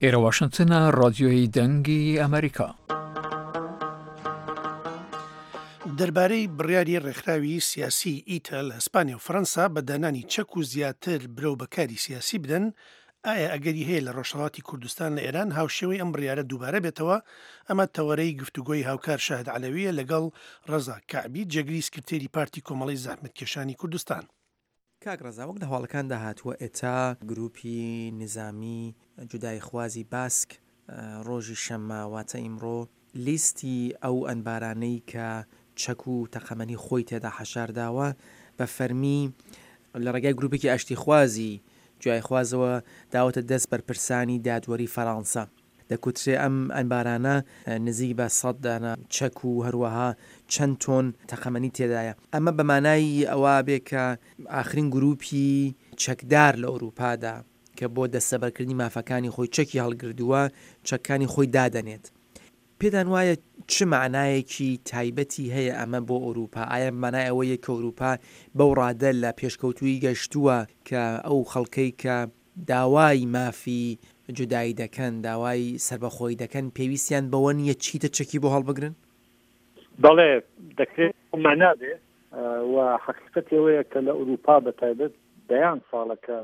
ئێرە واشنتنە ڕادیۆی دەنگی ئەمریکا. دەربارەی بڕیاری ڕێکخراوی سیاسیی ئیتا لە ئیسپانیا و فەرەنسا بە دانانی چەک و زیاتر برەو بە کاری سیاسی بدەن، ئایا ئەگەری هەیە لە ڕۆژهەڵاتی کوردستان لە ئێران هاوشێوەی ئەم بڕیارە دووبارە بێتەوە؟ ئەمە تەوەرەی گفتوگۆی هاوکار شاهد عەلەوییە لەگەڵ ڕەزا کەعبی، جێگری سکرتێری پارتی کۆمەڵەی زەحمەتکێشانی کوردستان. کاک ڕەزا وەک لە هەواڵەکاندا هاتووە ئێتا گرووپی نیزامی جوداییخوازی باسک ڕۆژی شەممە واتە ئیمڕۆ لیستی ئەو ئەنبارانەی کە چەک و تەقەمەنی خۆی تێدا حەشار داوە بە فەرمی. لە ڕێگای گروپێکی ئاشتیخوازی جیایخوازەوە داوەتە دەست بەرپرسانی دادوەری فەرانسە. دەکوترێ ئەم ئەنبارانە نزیک بە سەد دانە چەک و هەروەها چەند تۆن تەقەمەنی تێدایە. ئەمە بە مانای ئەوە بێ کە ئاخرین گروپی چەکدار لە ئورووپادا کە بۆ دەستەبەرکردنی مافەکانی خۆی چەکی هەڵگردووە، چەکانی خۆی دادەنێت. پێتان وایە چ مەعنایەکی تایبەتی هەیە ئەمە بۆ ئەوروپا؟ ئایا بە مانای ئەوەیە کە ئەوروپا بەو ڕادە لە پێشکەوتوویی گەشتووە کە ئەو خەڵکەی کە داوای مافی جودایی دەکەن، داوای سەربەخۆیی دەکەن، پێویستیان بەوە نییە چیتر چەکی بۆ هەڵبگرن؟ بەڵێ، دەکرێت بەو مەعنا بێ و حەقیقەتی ئەوەیە کە لە ئەوروپا بە تایبەت دەیان ساڵە کە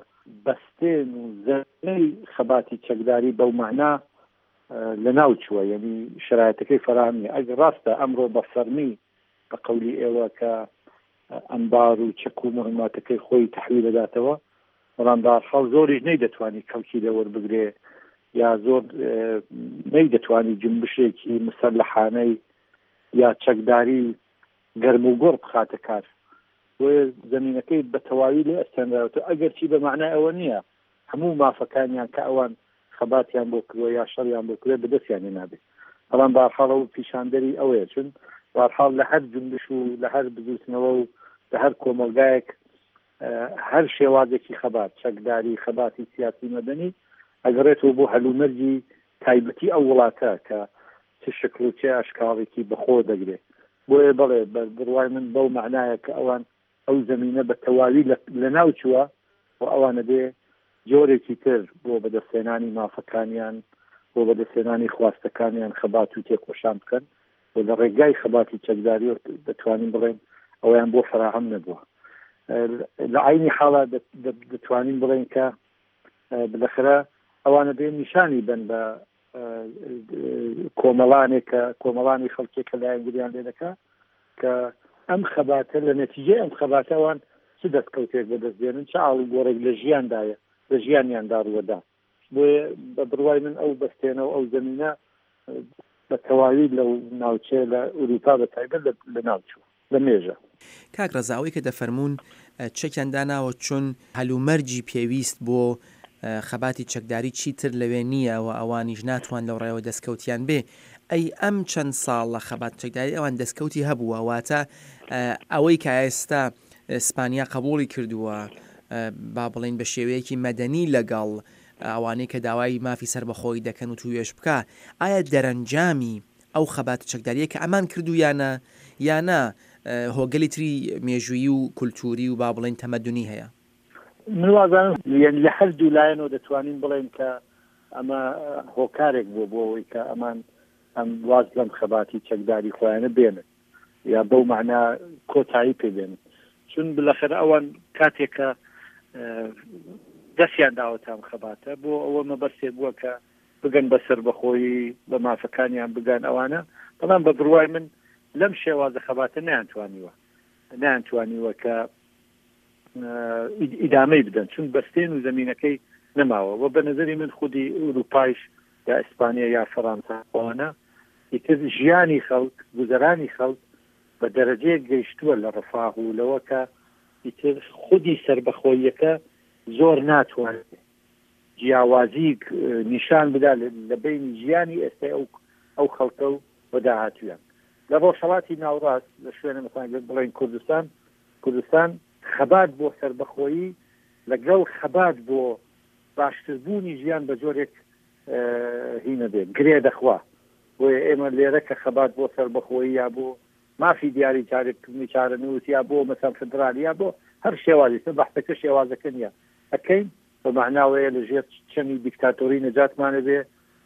بەستێن و زەمینەی خەباتی چەکداری بەو مەعنا لەناو چووە یەنی شەرایەتەکەی فەراهەم نیە ئەگەر ڕاستە ئەمڕۆ بە فەرمی بە قەولی ئێوە کە ئەنبار و چەک و مهماتەکەی خۆی تەحویل دەداتەوە بەڵام بەهەرحاڵ زۆریش نەیدەتوانی کەڵکی لێ وەربگرێ یا زۆر نەیدەتوانی جنبشێکی مسەلحانەی یا چەکداری گەرم و گوڕ بخاتە کار بۆیە زەمینەکەی بە تەواوی لێ ئەستێنراوەتەوە ئەگەرچی بە مەعنای ئەوە نییە هەموو مافەکانیان کە ئەوان خەباتیان بۆ کردووە یا شەڕیان بۆ کردووە بەدەستیان هێنابێ بەڵام بەهەرحاڵ ئەو پیشاندەری ئەوەیە چون بەهەرحاڵ لە هەر جونبش و لە هەر بزووتنەوە و لە هەر کۆمەڵگایەک هەر شێوازێکی خەبات چەکداری خەباتی سیاسی مەدەنی ئەگەڕێتەوە بۆ هەلومەرجی تایبەتی ئەو وڵاتە کە چ شکڵ و چ ئەشکاڵێکی بەخۆ دەگرێ بۆیە بەڵێ بە بڕوای من بەو مەعنایە کە ئەوان ئەو زەمینە بە تەواوی لەناو چووە و ئەوان ئەبێ جۆرێکی تر بۆ بەدەستهێنانی مافەکانیان، بۆ بەدەستهێنانی خواستەکانیان خەبات و تێکۆشان بکەن و لە ڕێگای خەباتی چەکداریەوە دەتوانین بڵێین ئەوەیان بۆ فەراهەم نەبووە. لە عەینی حاڵا دەتوانین بڵێین کە بلەخرە ئەوان ئەبێ نیشانی بەن بە کۆمەڵانێک کە کۆمەڵانی خەڵکێک کە لایەنگریان لێ دەکا کە ئەم خەباتە لە نەتیجەی ئەم خەباتەوان چ دەستکەوتێک بەدەست دێنن چ ئاڵوگۆڕێک لە ژیاندایە لە ژیانیاندا ڕووەدا بۆیە بە بڕوای من ئەو بەستێنە و ئەو زەمینە بە تەواوی لەو ناوچەیە لە ئورووپا بە تایبەت لە ناوچوو. لە مێژە. کاک ڕەزا ئەوەی کە دەفەرموون چەکیان داناوە چون هەلومەرجی پێویست بۆ خەباتی چەکداری چیتر لەوێ نییە و ئەوانیش ناتوان لەو ڕێوە دەستکەوتیان بێ ئەی ئەم چەند ساڵە خەبات چەکداری ئەوان دەستکەوتی هەبووە واتە ئەوەی کە ئێستا ئیسپانیا قبوڵی کردووە با بڵێین بە شێوەیەکی مەدەنی لەگەڵ ئەوانەی کە داوای مافی سەربەخۆیی دەکەن و توێژ بکا ئایا دەرەنجامی ئەو خەباتە چەکدارییە کە ئەمان کردوویانە یا نا هۆگەلی تری مێژوویی و کولتووری و با بڵێین تەمەدونی هەیە؟ من وازانم یانی لە هەر دوو لایەنەوە دەتوانین بڵێین کە ئەمە هۆکارێک بووە بۆ ئەوەی کە ئەمان ئەم واز لەم خەباتی چەکداری خۆیانە بێنن یا بەو مەعنا کۆتایی پێ بێنن چون بلەخەرە ئەوان کاتێک کە دەستیان داوەتە ئەم خەباتە بۆ ئەوە مەبەستێک بووە کە بگەن بە سەربەخۆیی، بە مافەکانیان بگەن ئەوانە، بەڵام بە بڕوای من لەم شێوازە خەباتە نەیانتوانیوە نەیانتوانیوە کە ئیدامەی بدەن چون بەستێن و زەمینەکەی نەماوە و بە نظری من خودی ئوروپایش یا ئیسپانیا یا فەرانسە ئەوانە ئیتر ژیانی خەڵک گوزەرانی خەڵک بە دەرەجەیەک گەیشتووە لە ڕفاه و لەوە کە ئیتر خودی سەربەخۆییەکە زۆر ناتوانێت جیاوازیک نیشان بدا لە بەینی ژیانی ئێستای ئەو ئەو خەڵکە و و داهاتوویان لە ڕۆژهەڵاتی ناوڕاست لە شوێنە مەسەلەن گەر بڵێین کوردستان کوردستان خەبات بۆ سەربەخۆیی لەگەڵ خەبات بۆ باشتربوونی ژیان بە جۆرێک هینە بێ گرێ دەخوا بۆیە ئێمە لێرە کە خەبات بۆ سەربەخۆیی یا بۆ مافی دیاری چارەکردنی چارەنووس یا بۆ مەسەن فدرالی یا بۆ هەر شێوازی بەحسەکە شێوازەکە نییە ئەکەین بە مەعناوەیە لە ژێر چەمی دیکتاتۆری نەجاتمان ئەبێ،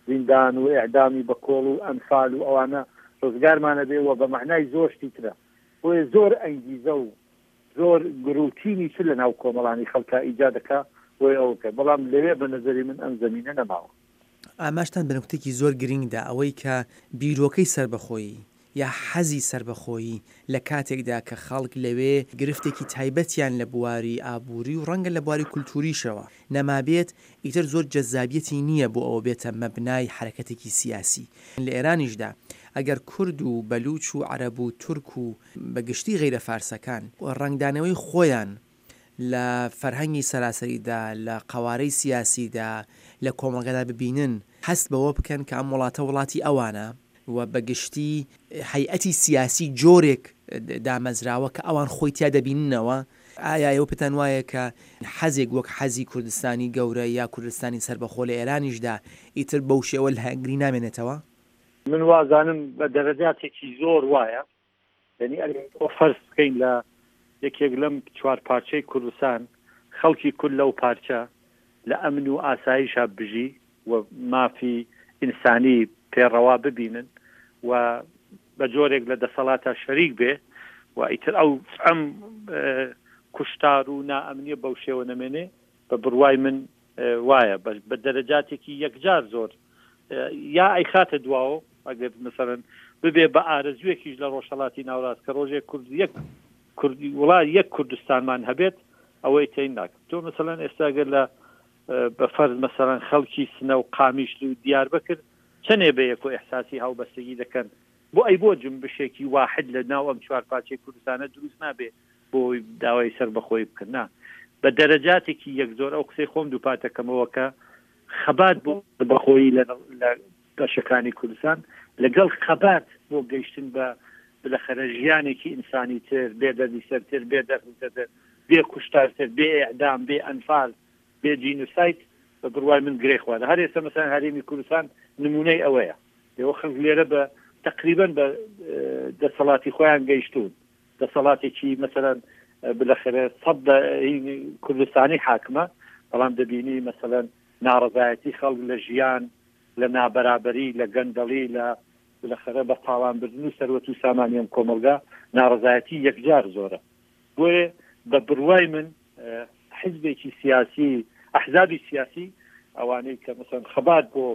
زیندان و ئیعدامی بە کۆڵ و ئەنفال و ئەوانە ڕزگارمان ئەبێ و بە مەعنای زۆر شتی ترە. بۆیە زۆر ئەنگیزە و زۆر گڕوتینی تر لە ناو کۆمەڵانی خەڵکا ئیجاد ئەکا بۆیە ئەوە بکەن. بەڵام لەوێ بە نەزەری من ئەم زەمینە نەماوە. ئاماژتان بە نوکتەیەکی زۆر گرینگ دا، ئەوەی کە بیرۆکەی سەربەخۆیی یا حەزی سەربەخۆیی لە کاتێکدا کە خەڵک لەوێ گرفتێکی تایبەتیان لە بواری ئابووری و ڕەنگە لە بواری کولتووریشەوە نەمابێت، ئیتر زۆر جەزابیەتی نییە بۆ ئەوە بێتە مەبنای حەرەکەتێکی سیاسی. لە ئێرانیشدا ئەگەر کورد و بەلووچ و عەرەب و تورک و بە گشتی غەیرە فارسەکان ڕەنگدانەوەی خۆیان. لە فەرهەنگی سەراسەریدا، لە قەوارەی سیاسیدا، لە کۆمەڵگەدا ببینن، هەست بەوە بکەن کە ئەم وڵاتە وڵاتی ئەوانە و بە گشتی هەیئەتی سیاسی جۆرێک دامەزراوە کە ئەوان خۆی تیا دەبیننەوە، ئایا ئێوە پێتان وایە کە حەزێک وەک حەزی کوردستانی گەورە یا کوردستانی سەربەخۆ لە ئێرانیشدا ئیتر بەو شێوە لایەنگری نامێنێتەوە؟ من وازانم بە دەرەجاتێکی زۆر وایە. یەنی ئەگەر تۆ فەرز بکەین لە یەکێک لەم چوارپارچەی کوردستان خەڵکی کورد لەو پارچە لە ئەمن و ئاسایشا بژی و مافی ئینسانی پێ ڕەوا ببینن و بە جۆرێک لە دەسەڵاتا شەریک بێ و ئیتر ئەو ئەم کوشتار و نائەمنیە بەو شێوە نەمێنێ بە بڕوای من وایە بە دەرەجاتێکی یەکجار زۆر یا ئەیخاتە دواوە ئەگەر مەسەلەن ببێ بە ئارەزوویەکیش لە ڕۆژهەڵاتی ناوڕاست کە ڕۆژێک کورد یەک کوردی وڵات یەک کوردستانمان هەبێت ئەوەی تەین ناکەم تۆ مەسەلەن ئێستا گەر لە بە فەرز مەسەلەن خەڵکی سنە و قامیشلی و دیاربەکر چەنێ بە یەک و ئێحساسی هاوبەستگی دەکەن بۆ ئەی بۆ جنبشێکی واحد لە ناو ئەم چوارپارچەی کوردستانە دروست نابێ بۆ داوای سەربەخۆیی بکەن نا بە دەرەجاتێکی یەک زۆر ئەو قسەی خۆم دووپاتەکەمەوە کە خەبات بۆ سەربەخۆیی لە لە بەشەکانی کوردستان لەگەڵ خەبات بۆ گەیشتن بە بلەخەرە ژیانێکی ئینسانی تر، بێ دەردیسەرتر، بێ دەردسەرتر، بێ کوشتارتر، بێ ئێعدام، بێ ئەنفال، بێ جینوساید بە بڕوای من گرێ خواردە. هەر ئێستا مەسەلەن هەرێمی کوردستان نموونەی ئەوەیە. ئێوە خەڵک لێرە بە تەقریبەن بە دەسەڵاتی خۆیان گەیشتوون. دەسەڵاتێکی مەسەلەن بلەخەرە سەد لە کوردستانی حاکمە، بەڵام دەبینی مەسەلەن ناڕەزایەتی خەڵک لە ژیان، لە نابەرابەری، لە گەندەڵی، لە بلەخەرە بە تاڵان بردن و سەروەت و سامانی ئەم کۆمەڵگا، ناڕەزایەتی یەکجار زۆرە. بۆیە بە بڕوای من حیزبێکی سیاسی، ئەحزابی سیاسی ئەوانەی کە مەسەلەن خەبات بۆ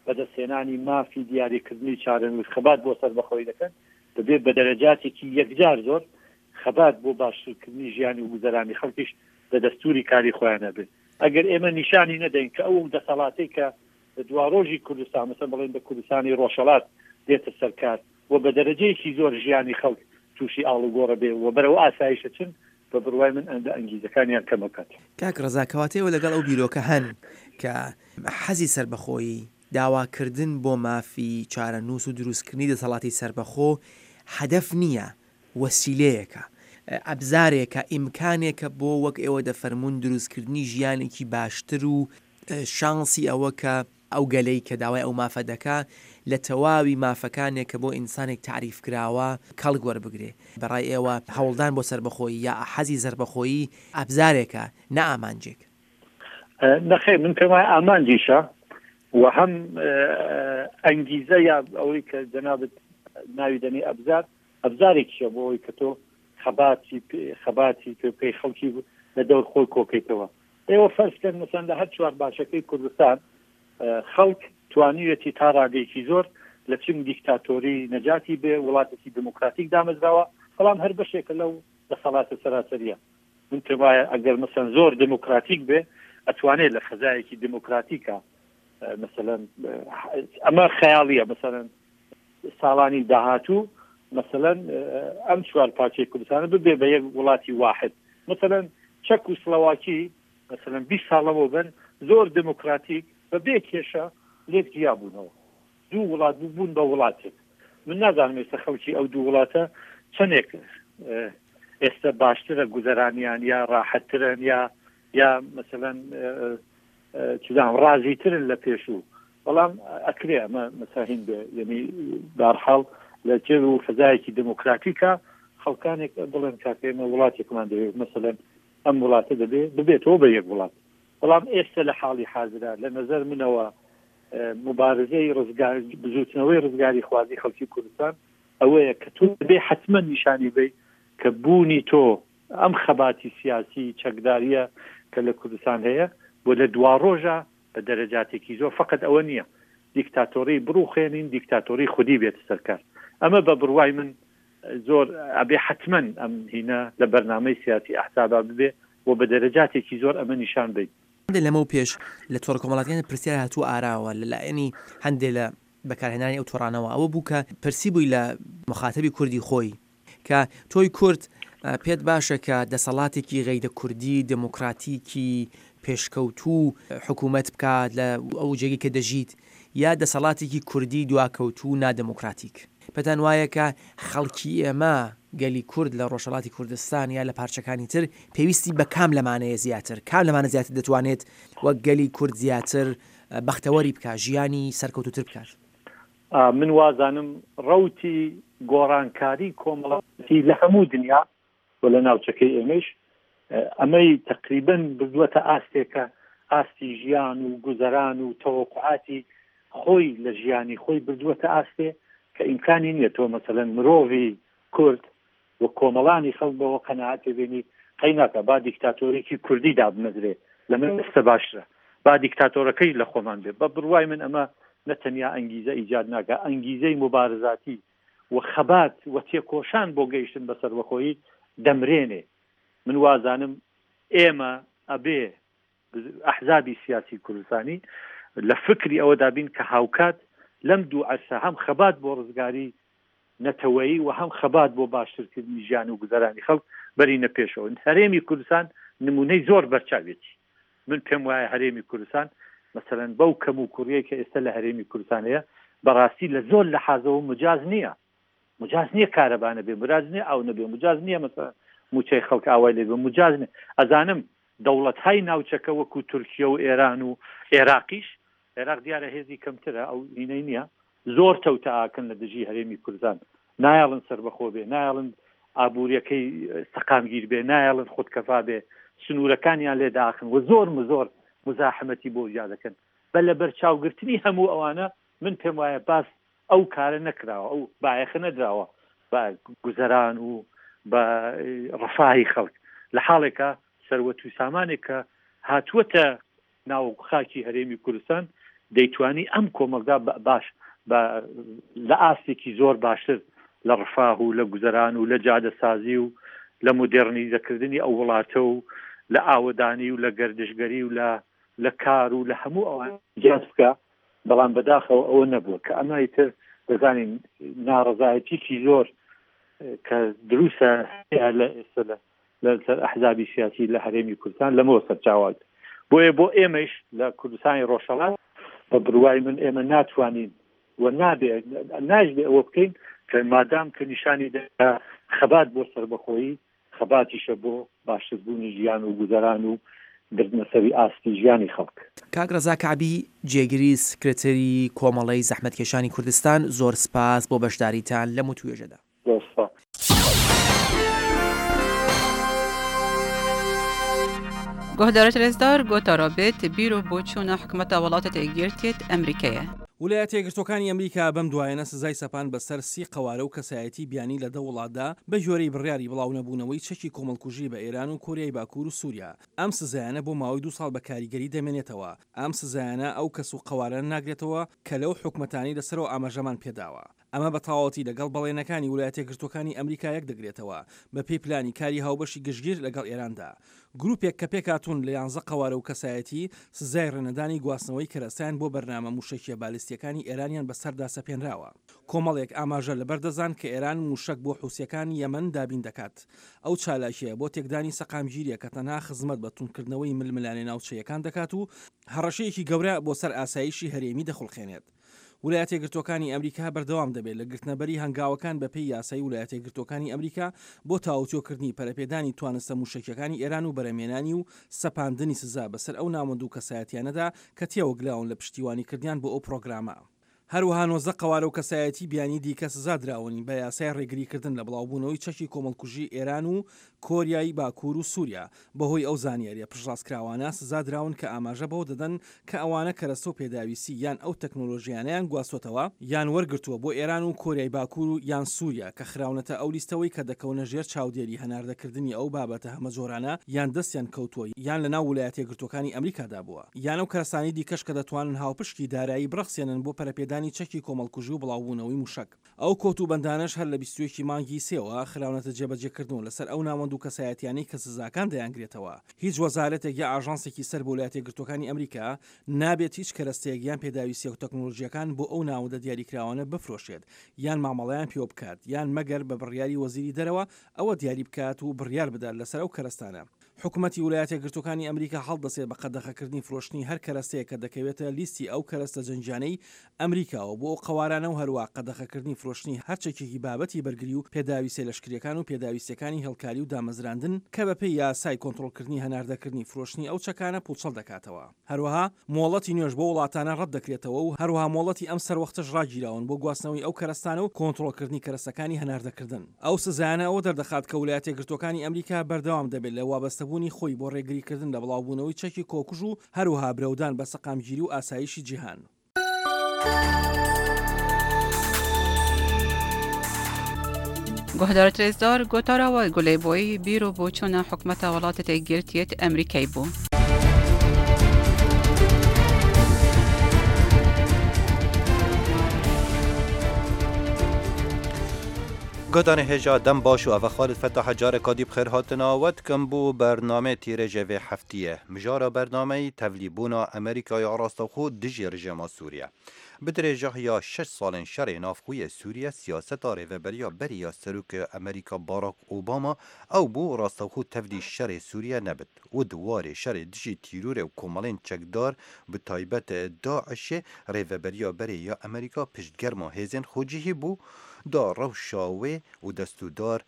بەدەستهێنانی مافی دیاریکردنی چارەنووس، خەبات بۆ سەربەخۆیی دەکەن، دەبێت بە دەرەجاتێکی یەکجار زۆر خەبات بۆ باشترکردنی ژیانی و گوزەرانی خەڵکیش لە دەستووری کاری خۆیان هەبێت. ئەگەر ئێمە نیشانی نەدەین کە ئەو دەسەڵاتەی کە لە دواڕۆژی کوردستان، مەسەلەن بڵێین بە کوردستانی ڕۆژهەڵات دێتە سەر کار و بە دەرەجەیەکی زۆر ژیانی خەڵک تووشی ئاڵوگۆڕ بێ و بەرەو ئاسایش ئەچن، بە بڕوای من ئەندە ئەنگیزەکانیان کەم ئەکات. کاک ڕەزا کەواتە ئێوە لەگەڵ ئەو بیرۆکە هەن کە حەزی سەربەخۆیی، داواکردن بۆ مافی چارەنووس و دروستکردنی دەسەڵاتی سەربەخۆ هەدەف نییە، وەسیلەیەکە، ئەبزارێکە، ئیمکانێکە بۆ وەک ئێوە دەفەرموون دروستکردنی ژیانێکی باشتر و شانسی ئەوە کە ئەو گەلەی کە داوای ئەو مافە دەکا لە تەواوی مافەکانێک کە بۆ ئینسانێک تەعریف کراوە کەڵک وەربگرێ. بە ڕای ئێوە هەوڵدان بۆ سەربەخۆیی یا حەزی سەربەخۆیی ئەبزارێکە نە ئامانجێک؟ نەخێر من پێم وایە ئامانجیشە و هەم ئەنگیزە یا ئەوەی کە جەنابت ناوی دەنێی ئەبزار، ئەبزارێکیشە بۆ ئەوەی کە تۆ خەباتی خەباتی پێ بکەی خەڵکی لە دەور خۆی کۆکەیتەوە. ئێوە فەرز کەن مەسەن لە هەر چوار باشەکەی کوردستان خەڵک توانیویەتی تا ڕادەیەکی زۆر لە چنگ دیکتاتۆری نەجاتی بێ، وڵاتێکی دێموکراتیک دامەزراوە، بەڵام هەر بەشێکە لەو دەسەڵاتە سەراسەرییە. من پێم وایە ئەگەر مەسەن زۆر دێموکراتیک بێ ئەتوانێ لە فەزایەکی دێموکراتیکا مەسەلەن ئەمە خەیاڵیە مەسەلەن ساڵانی داهاتوو مەسەلەن ئەم چوار پارچەی کوردستانە ببێ بە یەک وڵاتی واحد مەسەلەن چەک و سلۆواکی مەسەلەن 20 ساڵ لەمەوبەر زۆر دێموکراتیک بە بێ کێشە لێک جیا بوونەوە دوو وڵات بوو بوون بە وڵاتێک من نازانم ئێستا خەڵکی ئەو دوو وڵاتە چەندێک ئێستا باشترە گوزەرانیان یا ڕاحەتترن یا یا مەسەلەن چزانم ڕازیترن لە پێشوو بەڵام ئەکرێ ئەمە مەساهین بێ یعنی بارحاڵ لە جێ و فەزایەکی دموکراتیکە خەڵکانێک بڵێن کاکە ئێمە وڵاتێکمان دەوێت مەسەلەن ئەم وڵاتە دەبێ ببێتەوە بە یەک وڵات بەڵام ئێستا لە حاڵی حازرا لە نظر منەوە مبارزەی ڕزگار بزوتنەوەی ڕزگاری خوازی خەڵکی کوردستان ئەوەیە کە تۆ دەبێ حتمما نیشانی بی کە بوونی تۆ ئەم خەباتی سیاسی چەکداریە کە لە کوردستان هەیە و لە دواڕۆژا بە دەرەجاتێکی زۆر فەقەت ئەوە نییە دیکتاتۆری بڕوخێنین دیکتاتۆری خودی بێتە سەر کار ئەمە بە بڕوای من زۆر ئەبێ حەتمەن ئەم هینە لە بەرنامەی سیاسی ئەحزابا ببێ و بە دەرەجاتێکی زۆر ئەمە نیشان بەین. هەندێ لەمەو پێش لە تۆڕە کۆمەڵاتییەکان پرسیار هاتووە ئاراوە لە لایەنی هەندێ لە بەکارهێنانی ئەو تۆڕانەوە ئەوە بوو کە پرسی بووی لە موخاتەبی کوردی خۆی کە تۆی کورد. پێت باشە کە دەسەڵاتێکی غەیرە کوردی دێمۆکڕاتیکی پێشکەوتوو حکوومەت بکات لە ئەو جێگەی کە دەژیت یا دەسەڵاتێکی کوردی دواکەوتوو و نادێمۆکڕاتیک؟ پێتان وایە کە خەڵکی ئێمە، گەلی کورد لە ڕۆژهەڵاتی کوردستان یا لە پارچەکانی تر پێویستی بە کام لەمانەیە زیاتر؟ کام لەمانە زیاتر دەتوانێت وەک گەلی کورد زیاتر بەختەوەری بکات، ژیانی سەرکەوتووتر بکات؟ من وازانم ڕەوتی گۆڕانکاری کۆمەڵایەتی لە هەموو دنیا و لە ناوچەکەی ئێمەیش ئەمەی تەقریبەن بردووەتە ئاستێک کە ئاستی ژیان و گوزەران و تەوەقوعاتی خۆی لە ژیانی خۆی بردووەتە ئاستێ کە ئیمکانی نییە تۆ مەسەلەن مرۆڤی کورد و کۆمەڵانی خەڵک بەوە قەناعەت پێ بێنی قەی ناکا با دیکتاتۆرێکی کوردی دابمەزرێ لەمە ئێستە باشترە با دیکتاتۆرەکەیش لە خۆمان بێ بە بڕوای من ئەمە نە تەنیا ئەنگیزە ئیجاد ناکا ئەنگیزەی موبارزاتی و خەبات و تێکۆشان بۆ گەیشتن بە سەربەخۆیی دەمرێنێ من وازانم ئێمە ئەبێ ئەحزابی سیاسی کوردستانی لە فکری ئەوەدا بین کە هاوکات لەم دوو عەرسە هەم خەبات بۆ ڕزگاری نەتەوەیی و هەم خەبات بۆ باشترکردنی ژیان و گوزەرانی خەڵک بەرینە پێشەوە. هەرێمی کوردستان نموونەی زۆر بەرچاویەتی. من پێم وایە هەرێمی کوردستان مەسەلەن بەو کەموکوڕیەی کە ئێستا لە هەرێمی کوردستان هەیە بەڕاستی لە زۆر لەحازەوە مجاز نییە. مجاز نییە کارەبا نەبێ، مراز نییە ئاو نەبێ، مجاز نییە مەسەلەن مووچەی خەڵک ئاوای لێ بێ، مجاز نییە. ئەزانم دەوڵەتهای ناوچەکە وەکوو تورکیە و ئێران و ئێراقیش، ئێراق دیارە هێزی کەمترە ئەو هینەی نییە، زۆر تەوتەئاکەن لە دژی هەرێمی کوردستان، نایەڵن سەربەخۆ بێ، نایەڵن ئابووریەکەی سەقامگیر بێ، نایەڵن خودکەفا بێ، سنوورەکانیان لێ داخن و زۆر زۆر موزاحمەتی بۆ زیاد دەکەن. بە لەبەرچاوگرتنی هەموو ئەوانە من پێم وایە باس ئەو کارە نەکراوە، ئەو بایەخە نەدراوە بە گوزەران و بە ڕەفاهی خەڵک، لە حاڵێکا سەروەت و سامانێک کە هاتووەتە ناو خاکی هەرێمی کوردستان دەیتوانی ئەم کۆمەڵگا باش بە لە ئاستێکی زۆر باشتر لە ڕفاه و لە گوزەران و لە جادەسازی و لە مۆدێڕنیزەکردنی ئەو وڵاتە و لە ئاوەدانی و لە گەردشگەری و لە لە کار و لە هەموو ئەوان زیاد بکا بەڵام بەداخەوە ئەوە نەبووە کە ئەمە ئیتر دەزانین ناڕەزایەتیکی زۆر کە دروستە لە ئێستا لە لەسەر ئەحزابی سیاسی لە هەرێمی کوردستان لەمەوە سەرچاوە بۆیە بۆ ئێمەش لە کوردستانی ڕۆژهەڵات بە بڕوای من ئێمە ناتوانین و نابێ ناشبێ ئەوە بکەین کە مادام کە نیشانی دەدا خەبات بۆ سەربەخۆیی خەباتیشە بۆ باشتربوونی ژیان و گوزەران و بردنەسەری ئاستی ژیانی خەڵک. کاک ڕەزا کەعبی جێگری سکرتێری کۆمەڵەی زەحمەتکێشانی کوردستان زۆر سپاس بۆ بەشداریتان لەم وتووێژەدا. زۆر سپاس. Guhdarê rêzdar gotara bê ti bîr û boçûna hikûmeta welatê Yekgirtiyê Emrîkê ye. ولایەتە یەکگرتووەکانی ئەمریکا بەم دوایەنە سزای سەپاند بەسەر سی قەوارە و کەسایەتی بیانی لە دە وڵاتدا بە گوێرەی بڕیاری بڵاونەبوونەوەی چەکی کۆمەڵکوژی بە ئێران و کۆریای باکوور و سووریا. ئەم سزایانە بۆ ماوەی دوو ساڵ بە کاریگەری دەمێنێتەوە. ئەم سزایانە ئەو کەس و قەوارانە ناگرێتەوە کە لەو حکومەتانەی لە سەرەوە ئاماژەمان پێداوە. ئەمە بە تەواوەتی لەگەڵ بەڵێنەکانی ولایەتیەکگرتووەکانی ئەمریکا یەکدەگرێتەوە بەپێی پلانی کاری هاوبەشی گشتگیر لەگەڵ ئێراندا. گروپێک کە پێکهاتوون لە یانزە قەوارە و کەسایەتی، سزای ڕێنەدانی گواستنەوەی کەرەستەیان بۆ بەرنامە موشەکیە بالیستیەکانی ئێرانیان بەسەردا سەپێنراوە. کۆمەڵێک ئاماژە لەبەردەستدان کە ئێران موشەک بۆ حوسیەکانی یەمەن دابین دەکات. ئەو چالاکیە بۆ تێکدانی سەقامگیریە کە تەنها خزمەت بە توندکردنەوەی ململانێ ناوچەییەکان دەکات و هەڕەشەیەکی گەورە بۆ سەر ئاسایشی هەرێمی دەخوڵقێنێت. ولایەتیەکگرتووەکانی ئەمریکا بەردەوام دەبێت لە گرتنەبەری هەنگاوەکان بەپێی یاسای ولایەتیەکگرتووەکانی ئەمریکا بۆ تاوتوێکردنی پەرەپێدانی توانستە موشەکیەکانی ئێران و بەرەمێنانی و سەپاندنی سزا بەسەر ئەو ناوەند و کەسایەتیانەدا کە تێوەگلاون لە پشتیوانیکردنیان بۆ ئەو پرۆگرامە. هەروەها 19 قەوارە و کەسایەتی بیانی دیکە سزا دراون بە یاسای ڕێگریکردن لە بڵاوبوونەوەی چەکی کۆمەڵکوژی ئێران و کۆریای باکوور و سووریا بەهۆی ئەو زانیارییە پشتڕاستکراوانە سزا دراون کە ئاماژە بەوە دەدەن کە ئەوانە کەرەستە و پێداویستی یان ئەو تەکنۆلۆژیانەیان گواستۆتەوە یان وەرگرتووە بۆ ئێران و کۆریای باکوور و یان سووریا کە خراونەتە ئەو لیستەوەی کە دەکەونە ژێر چاودێری هەناردەکردنی ئەو بابەتە هەمەجۆرانە یان دەستیان کەوتووە یان لەناو ولایەتیەکگرتووەکانی ئەمریکادا بووە یان ئەو کەرەستانەی دیکەش کە دەتوانن هاوپشکی دارایی بڕەخسێنن بۆ پەرەپێدانی. پێدانی چەکی کۆمەڵکوژی و بڵاوبوونەوەی موشەک. ئەو کۆت و بەندانەش هەر لە 21 ی مانگی سێوە خراونەتە جێبەجێکردن و لەسەر ئەو ناوەند و کەسایەتیانەی کە سزاکان دەیانگرێتەوە. هیچ وەزارەتێک یا ئاژانسێکی سەر بە ولایەتیەکگرتووەکانی ئەمریکا نابێت هیچ کەرەستەیەک یان پێداویستیە تەکنۆلۆژییەکان بۆ ئەو ناوەندە دیاریکراوانە بفرۆشێت یان مامەڵەیان پێوە بکات یان مەگەر بە بڕیاری وەزیری دەرەوە ئەوە دیاری بکات و بڕیار بدات لەسەر ئەو کەرەستانە. حکومەتی ولایەتیەکگرتووەکانی ئەمریکا هەڵدەسێت بە قەدەغەکردنی فرۆشتنی هەر کەرەستەیەک کە دەکەوێتە لیستی ئەو کەرەستە جەنگیانەی ئەمریکاوە بۆ ئەو قەوارانە و هەروەها قەدەغەکردنی فرۆشتنی هەر چەکێکی بابەتی بەرگری و پێداویستیە لەشکریەکان و پێداویستیەکانی هێڵکاری و دامەزراندن کە بەپێی یاسای کۆنتڕۆڵکردنی هەناردەکردنی فرۆشتنی ئەو چەکانە پوچەڵ دەکاتەوە. هەروەها مۆڵەتی نوێش بۆ وڵاتانە ڕەت دەکرێتەوە و هەروەها مۆڵەتی ئەم سەروەختەش ڕاگیراون بۆ گواستنەوەی ئەو کەرەستانە و کۆنتڕۆڵکردنی کەرەستەکانی هەناردەکردن. ئەو سزایانە ئەوە دەردەخات کە ولایەتیەکگرتووەکانی ئەمریکا بەردەوام دەبێت لە وابەستەبوونی خۆی بۆ ڕێگریکردن لە بڵاوبوونەوەی چەکی کۆکوژ و هەروەها برەودان بە سەقامگیری و ئاسایشی جیهان. گۆهدارت رێزدار گۆتارا وە گولەی بۆی بیر و بۆچوونە حکومەتە وڵاتە یەکگرتیەت ئەمریکای بوو. گۆدانێ هێژا دەم باش و ئەڤە خالد فەتاحە جارێکا دی بخێر هاتنا وە دکم بۆ بەرنامەێ تیرێژێ ڤێ هەفتیێ. مژارا بەرنامەی تەڤلی بوونا ئەمریکا یا ڕاستەوخۆ دژی ڕژێما سوریە. Bi dirêjahiya şeş salên şerê navxweyê Sûriye siyaseta rêveberiya berê ya Serokê Amerîka Barack Obama ew bû rastewxwe tevlî şerê Sûriye nebit û di warê şerê dijî tîrorê û komelên çekdar bi taybet DAIŞ'ê rêveberiya berê ya Amerîka piştgerma hêzên xwecihî bû da rewşa wê û destûdar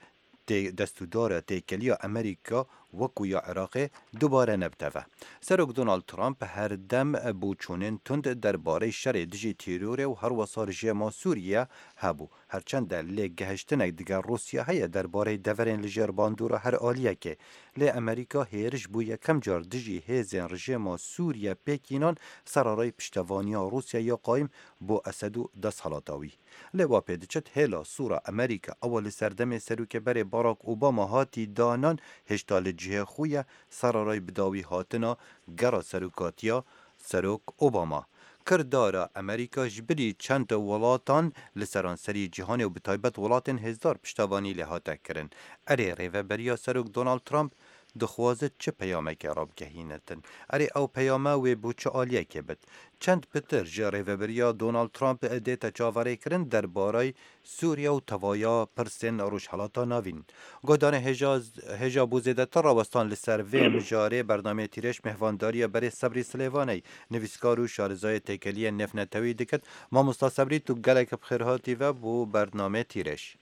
destûdara têkeliya Amerîka wekû ya Iraqê dubare nebiteve. Serok Donald Trump her dem boçûnên tund derbarey şerê dijî têrorê û herwesa rijêma Sûriye hebû. Her çend e lê gehiştinek digel Rûsya heye derbarey deverên li jêr bandora her aliyekê. Lê Amerîka hêriş bû yekem car dijî hêzên rijêma Sûriye pêk înan sererey piştevaniya Rûsya ya qayim bo Esed û desthelata wî. Lê wa pê diçit hêla sora Amerîka ewa li serdemê Serokê berê Barack Obama hatî danan hêjta li cihê xwe ye sererayê bidawî hatina gera serokatiya Serok Obama. Kirdara Amerîka ji bilî çend welatan li seranserî cîhanê û bi taybet welatên hêzdar piştevanî lê hate kirin. Erê rêveberiya Serok Donald Trump Dixwaze çi peyamekê rabigehînetin? Erê ew peyame wê bo çi aliyekê bit? Çend pitir ji rêveberiya Donald Trump dête çaverêkirin derbarey Sûriye û tevaya pirsên Rojhilata Navîn? Guhdanê hêja hêja bo zêdetir rawestan li ser vê mijarê bernameyê Tîrêj mêhvandariya berê Sebrî Silêvaney, nivîskar û şarezayê têkeliyên nêvnetewî dikit. Mamosta Sebrî tu gelek bi xêr hatî ve bo bernameyê Tîrêj.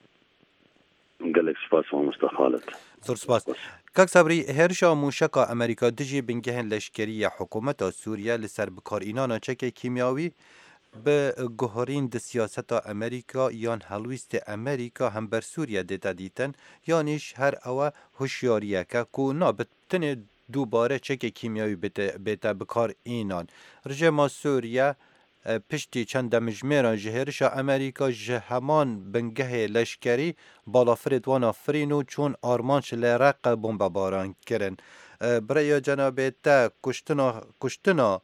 Gelek spas mamosta Xalid. Zor spas. Kak Sabrî, hêrişa mûşeka Amerîka dijî bingehên leşkerî ya hikûmeta Sûriye li ser bikarînana çekê kîmyawî bi guherîn di siyaseta Amerîka yan helwîstê Amerîka hember Sûriye dête dîtin yanîş her ewe hişyariyeke ku na bi tenê dûbare çekê kîmyawî bête bikarînan. Rijêma Sûriye Piştî çend demjimêran ji hêrişa Amerîka ji heman bingehê leşkerî balafirê wan a firîn û çûn armanc li Reqe bombebaran kirin. Bi rêya cenabê te kuştina kuştina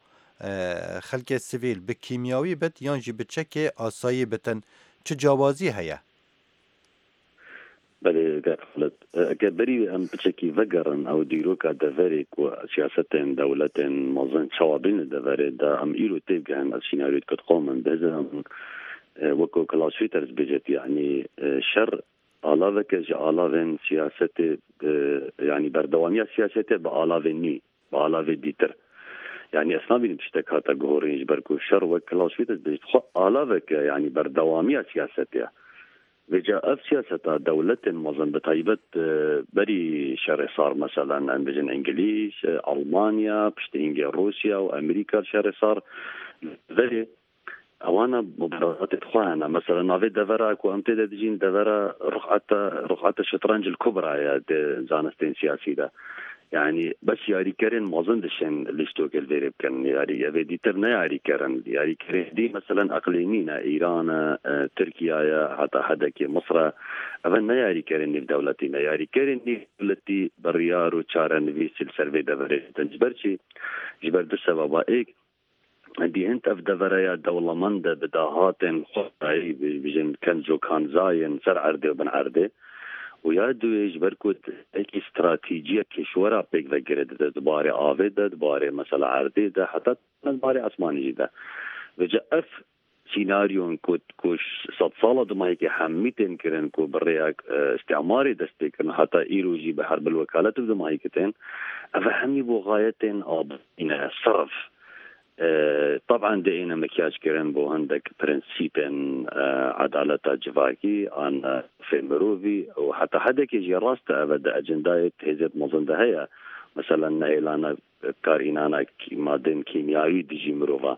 xelkê sivîl bi kîmyawî bit yan jî bi çekê asayî bitin çi cawazî heye? Belê kak Xalid, eke berî wê em piçekî vegerin ew dîroka deverê ku siyasetên dewletên mezin çawa bên li deverê de em îro têbigehin ez sînaryoyê ku dixwam bihizim weko Klaus Schwitters bêjet yanî şer alaveke ji alavên siyasetê yanî berdewamiya siyasetê bi alavên nû bi alavê dîtir yanî ez nabînim tiştek hate guhorîn ji ber ku şer wek Klaus Schwitters bêjet xwe alaveke yanî berdewamiya siyasetê ye. Vêca ev siyaseta dewletên mezin bi taybet berî şerê sar meselen em bijin Îngilîz, Almanya, piştî hingê Rûsya û Amerîka li şerê sar li verê ewana mubareratên xwe hene. Meselen navê devera ku em tê de dijîn devera Ruxata Ruxata Şetrenc li Kubra ye di zanistên siyasî de. Yanî bes yarîkerên mezin dişên lîstokê li vêrê bikin. Yarî evê dîtir ne yarîker in. Yarîkerên dî meselen eqlîmî ne, Îran e, Tirkiya ye, heta hedekê Misir e. Ev ne yarîkerên nîvdewletî ne. Yarîkerên nîvdewletî biryar û çarenivîsî li ser vê deverê didin. Ji ber çi? Ji ber du sebeba. Êk. دی هند ev devereya dewlemend e bi dahatên xwezayî bijin kenc û kanzayên ser erdê û bin erdê û ya duwê ji ber ku yekî stratîjiya kêşwera pêk ve girê dide di barê avê de di barê mesela erdê de heta di barê esmanî jî de. Vêca ev Sînaryon ku ku sedsala dumahîkê hemî tên kirin ku bi rêya îstîmarê dest pê kirin heta îro jî bi herbil wekalet bi dumahîkê tên, ev hemî bo xayetên aborî ne, sirf. Teb'en dê êne mikyaj kirin bo hindek prensîpên edaleta civakî an mafê mirovî û heta hedekê jî rast e ev di ecendayê hêzên mezin de heye. Meselen nehêlana Karhînana madên kîmyawî dijî mirova.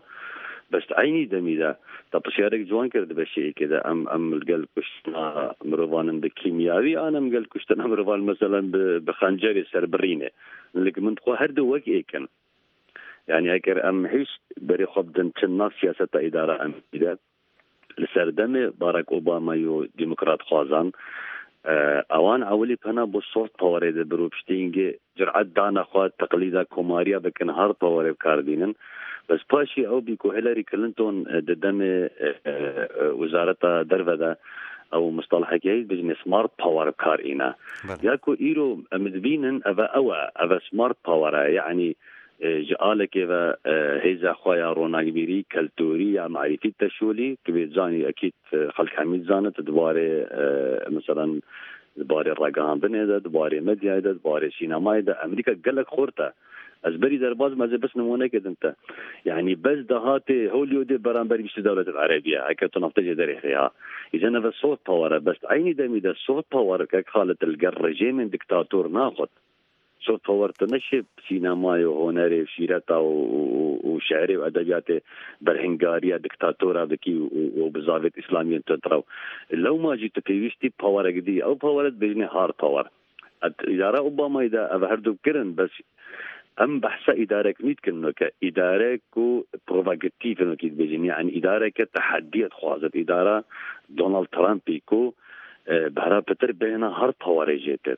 Bes di eynî demî de te pirsiyarek ciwan kir di beşê yekê de em em li gel kuştina mirovan in bi kîmyawî an em gel kuştina mirovan meselen bi bi xencerê serbirînê. Li min dixwe her du wek êk in. Yanî eger em hîç berê xwe bidin çi nav siyaseta îdara Amerîkî de Li serdemê Barack Obamayî û demokratxwazan ewan ewilî pena bo soft powerê dibir û piştî hingê cur'et dane xwe teqlîda komariya bikin hard powerê bi kar bînin. Bes paşî ew bî ku Hillary Clinton di demê wezareta derve de ew mustalahekî heye dibêjin smart power bi kar îne. Ya ku îro em dibînin ev e ew e, ev e smart power e yanî Ji alekê ve hêza xwe ya ronakbîrî, keltûrî ya merîfî teşûlî, tu bê dizanî ekîd xelk hemî dizane tu di barê meselen di barê ragihandinê de, di barê medyayê de, di barê sînemayê de Amerîka gelek xurt e. Ez berî derbas bim ez ê bes nimûnekê dim te. Yanî bes dahatê Hollywoodê beramberî 20 dewletên erebî ye. Heke tu naftê jê derê xê ha. Îzen ev e soft power e. Bes di eynî demî de soft power kek Xalid li gel rejîmên diktator naxwit. Soft power tu neşê sînemayê û hunerê û şîreta û şiirê û edebiyatê berhingariya diktatora bikî û bi zavêt îslamiyên tundrew. Lewma jî tu pêwîstî powerek dî. Ew powere dibêjinê hard power. Îdara Obamayî de ev her du kirin bes em behsa îdarek nî dikin weke îdarek ku provakatîf in wekî dibêjin yanî îdareke tehediyê dixwaze. Îdara Donald Trumpî ku bi hera pitir bêhna hard powerê jê tê.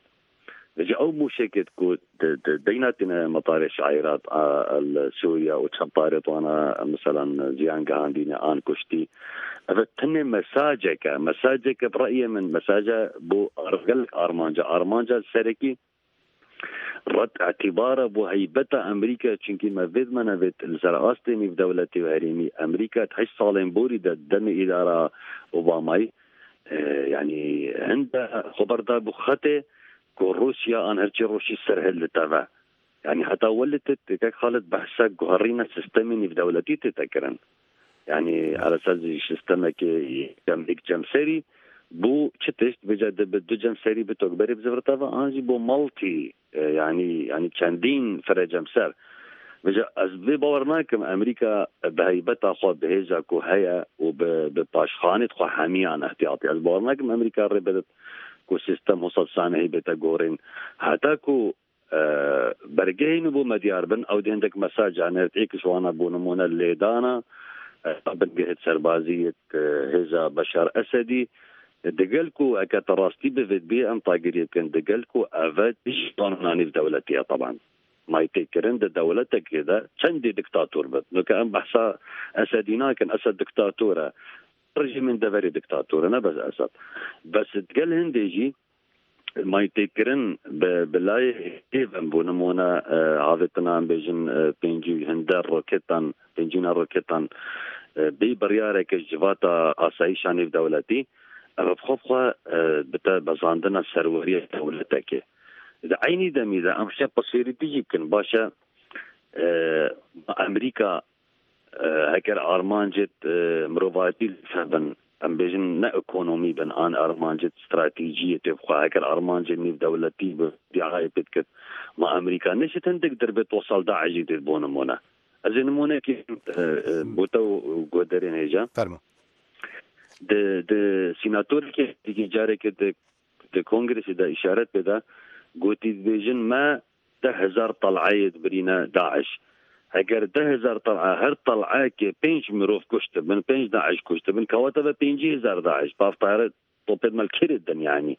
Ji ew mûşekê ku di deyna tîne metarê şairat a li Sûriya û çend tarê wana miselan ziyan gihandîne an kuştî. Ev tenê mesajek e. Mesajeke bi reyê min mesaja bo gelek armanca. Armanca serekî red îtîbara bo heybeta Amerîka çunkî me vê me nevêt li ser astê nîvdewletê û herêmî Amerîka di heşt salên borî de demê îdara Obamayî Yanî hinde xwe berda bû xetê ku Rûsya an herçî rûsî serhilditeve. Yanî heta welê tê kek Xalid behsa guherîna sistemê nîvdewletî tê te kirin. Yanî elesas ji sistemekê yekem yek cemserî bû çi tişt vêca di bi du cemserî bi tokberê bizivirteve an jî bo multî Yanî yanî çendîn firecemser. Vêca ez vê bawer nakim Amerîka bi heybeta xwe bi hêza ku heye û bi bi paşxanê xwe hemiyan îhtiyatî. Ez bawer nakim Amerîka rê bide ku sîstem wisa bi sanehî bête gorîn. Heta ku bergehên bo me diyar bin ew dê hindek mesaja nêrt êk ji wana bo nimûne lêdana bingehê serbazî yê hêza Beşar Esedî Digel ku heke te rastî bivêt bê em tagiriyê bikin digel ku eve dijî qanûna nîvdewletî ye taban. Maytêkirin di dewletekê de çendî diktator be. Nuke em behsa Esedî nakin Esed diktator e. Rejîmên deverê diktator e ne bes Esed. Bes digel hindê jî Maytêkirin bi bi layê hêvin bo nimûne avêtina em bêjin 50 û hinde roketan pêncîna roketan bê biryareke ji civata asayîşa nêvdewletî ev bi xwe bi xwe bi te bezandina serweriya dewletekê. Di eynî demî de em şe pirsêrî dijî bikin baş e Amerîka Heger armancê mirovatî li ser bin, em bêjin ne ekonomî bin an armancê stratejiyê tê bi xwe, heger armancê nîvdewletî bi îdiayê pê dikir, ma Amerîka neşit hindik dirbê tosal DAIŞ jî tê bo nimûne. Ez ê nimûnekî bo te û guhdarên hêja. Fermo. Di di sînatorekê carekê di di kongresê de îşaret pê da gotî dibêjin me 10,000 tel'eyê dibirîne DAIŞ. Heger 10,000 tel'e her tel'eyekê pênc mirov kuştibin, pênc DAIŞ kuştibin, kewate ve 50,000 DAIŞ. Bav tayare topê me li kêrê didin yanî.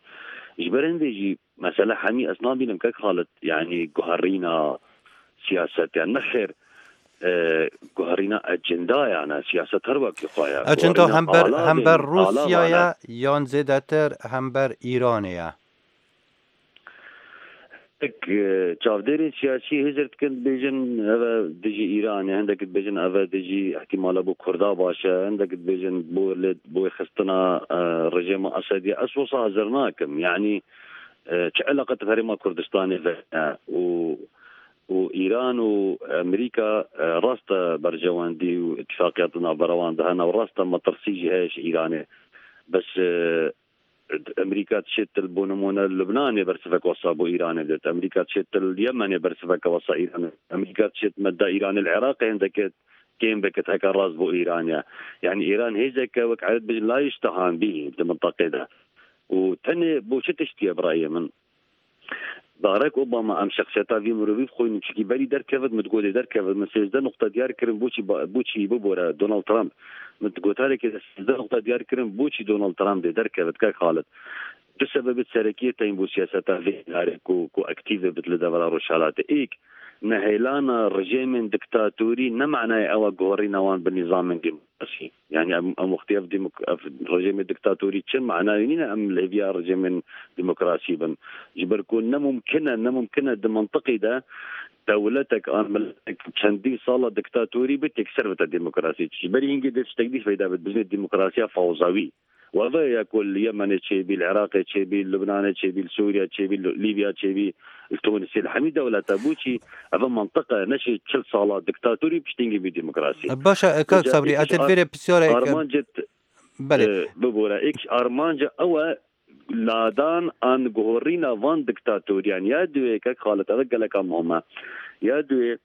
Ji ber hindê jî mesele hemî ez nabînim kek Xalid yanî guherîna siyaset ya nexêr. Guherîna ecendayane, siyaset her wekî xwe ye. Ecenda Guherîna hember alavên hember alavane. Rûsyaya yan zêdetir hember Îranê ye? Hindek çavdêrên siyasî hizir dikin dibêjin ev e dijî Îranê, hindek dibêjin ev e dijî îhtîmala bo Kurda baş e, hindek dibêjin bo lê bo xistina rejêma Esedî ye. Ez wisa hizir nakim. Yanî çi eleqe bi Herêma Kurdistanê ve ye û û Îran û Amerîka rast e berjewendî û îtîfaqiyat di navbera wan de hene û rast e metirsî jî heye ji Îranê. Bes Amerîka diçêt li bo nimûne li Lubnanê bersiveke wisa bo Îranê did. Amerîka diçêt li Yemenê bersiveke wisa Îranê did. Amerîka diçêt medda Îranê li Iraqê hindeke kêm bikit heke rast bo Îran ye. Yanî Îran hêzeke wek ereb dibêjin la yuştehan bî di minteqê de. Û tenê bo çi tiştî ye bi rayê min? Barack Obama em şexsiyeta vî mirovî bixwînin çikî berî derkevit min digot ê derkevit min 13 nuqte diyar kirin boçî boçî bibore Donald Trump min di gotarekê de 13 nuqte diyar kirin boçî Donald Trump dê derkevit kek Xalid du sebebê serekiyê teyîn bo siyaseta vê îdarê ku ku aktîv bibit li devera rojhilatê êk nehêlana rijêmên diktatorî ne manayê ew e guherîna wan bi nîzamên demokrasî. Yanî em em wextî ev demok ev rejîmê diktatorî çi manayê nîne em li hêviya rejîmên demokrasî bin. Ji ber ku ne mumkin e ne mumkin e di mantiqî de dewletek an miletek çendîn sala diktatorî bit yekser bite demokrasî. Ji berî hingê dê tiştek dî feyda bit bijîne demokrasiya fewzawî. Û ev e ya ku li Yemenê çêbî, li Iraqê çêbî, li Lubnanê çêbî, li Sûriye çêbî, li Lîbya çêbî, li Tûnisê, li hemî dewleta bû çî ev e mantiq e neşê 40 sala diktatorî piştîngî bî demokrasî. Baş e kak Vêca Sabrî êk ez ji li vê rê pisyarek armancê Belê. bibore êk ji armanca ew e ladan an guherîna van diktatoriyan ya duê kek Xalit ev e geleka muhim e ya duê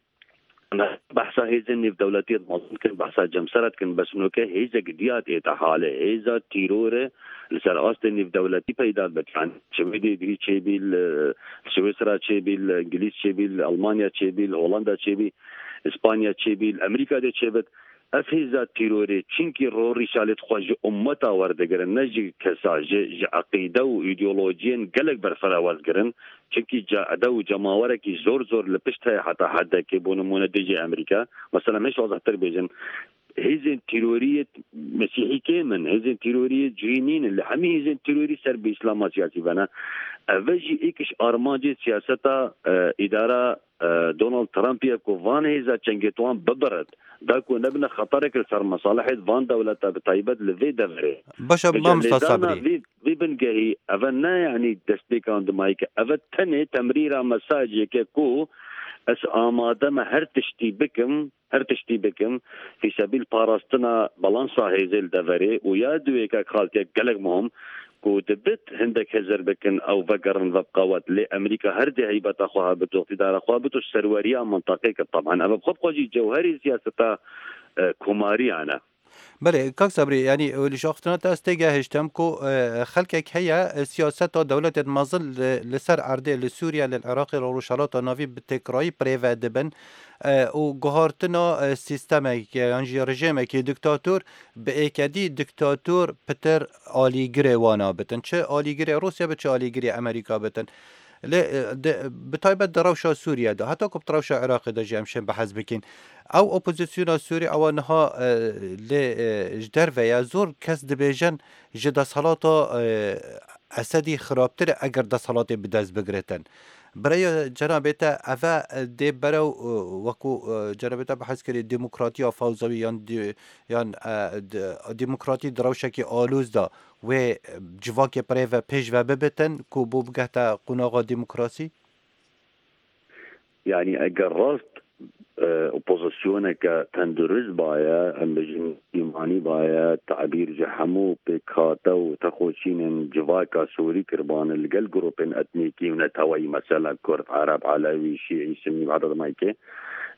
Behsa hêzên nêvdewletiyê mezin dikin, behsa cemsera dikin, bes noke hêzek diyar tê te halê. Hêza tîrorê li ser astê nêvdewletî peyda dibe. Yani Swêdê bî çêbî, li Swêsra çêbî, li Îngilîz çêbî, li Almanya çêbî, li Holanda çêbî, Îspanya çêbî, li Amerîka dê çêbit. Ev hêza tîrorê çinkî ro rîşalê xwe ji ummeta werdigirin ne ji kesa, ji ji eqîde û îdeolojiyên gelek berfireh werdigirin. Çinkî caede û cemawerekî zor zor li pişt heye heta hedekê bo nimûne dijî Amerîka. Mesela em hêj wazehtir bêjin hêzên tîroriyê mesîhî kêm in, hêzên tîroriyê cihî nîn in lê hemî hêzên tîrorî ser bi îslama siyasî ve ne. Ev jî yek ji armancên siyaseta îdara Donald Trump ye ku van hêza çengê wan bibirit da ku nebine xeterek li ser mesalehê van dewleta bi taybet li vê deverê. Baş e mamosta Sabrî. Vê vê bingehî ev e ne yanî destpêka dimayî ev e tenê temrîra mesajeke ku ez amade me her tiştî bikim Her tiştî bikim fî sebîl parastina balansa hêzê li deverê û ya duwê kak xaltiyek gelek muhim ku dibit hindek hizir bikin ew vegerin ve bi qewet lê Amerîka her dê heybeta xwe hebit û îqtîdara xwe hebit û serweriya mintaqê kir taban ev bi xwe bi xwe jî cewherê siyaseta komariyan e. Belê kak Sabrî yanî li şaxistina te ez têgehiştim ku xelkek heye siyaseta dewletên mezin li ser erdê li Sûriye li Iraqê li Rojhilata Navîn bi têkrayî birêve dibin û guhartina sîstemekê yan jî rejîmekî diktator bi êkedî diktator pitir alîgirê wan bitin çi alîgirê Rûsya bi çi alîgirê Amerîka bitin. Lê bi taybet di rewşa Sûriye de heta ku bi rewşa Iraqê de jî em şên behs bikîn. Ew opozisyona Sûrî ewa niha lê ji derve ye zor kes dibêjin ji desthilata Esedî xirabtir e eger desthilatê bi dest bigirtin. Birêya cenabê te ev e dê berew wekû cenabê te behs kirî demokratiya fewzawî yan yan demokratî di rewşekî aloz de Wê civakê birêve pêş ve bibitin ku bo bigehte qonaxa demokrasî? Yanî eger rast opozisyoneke tendurist baye, em bijîn îmanî baye, tabîr ji hemû pêkhate û texoçînên civaka Sûrî kiribane li gel grûpên etnîkî û neteweyî mesela Kurd, Ereb, Elewî, Şîî, Sunnî û heta dimayîkê,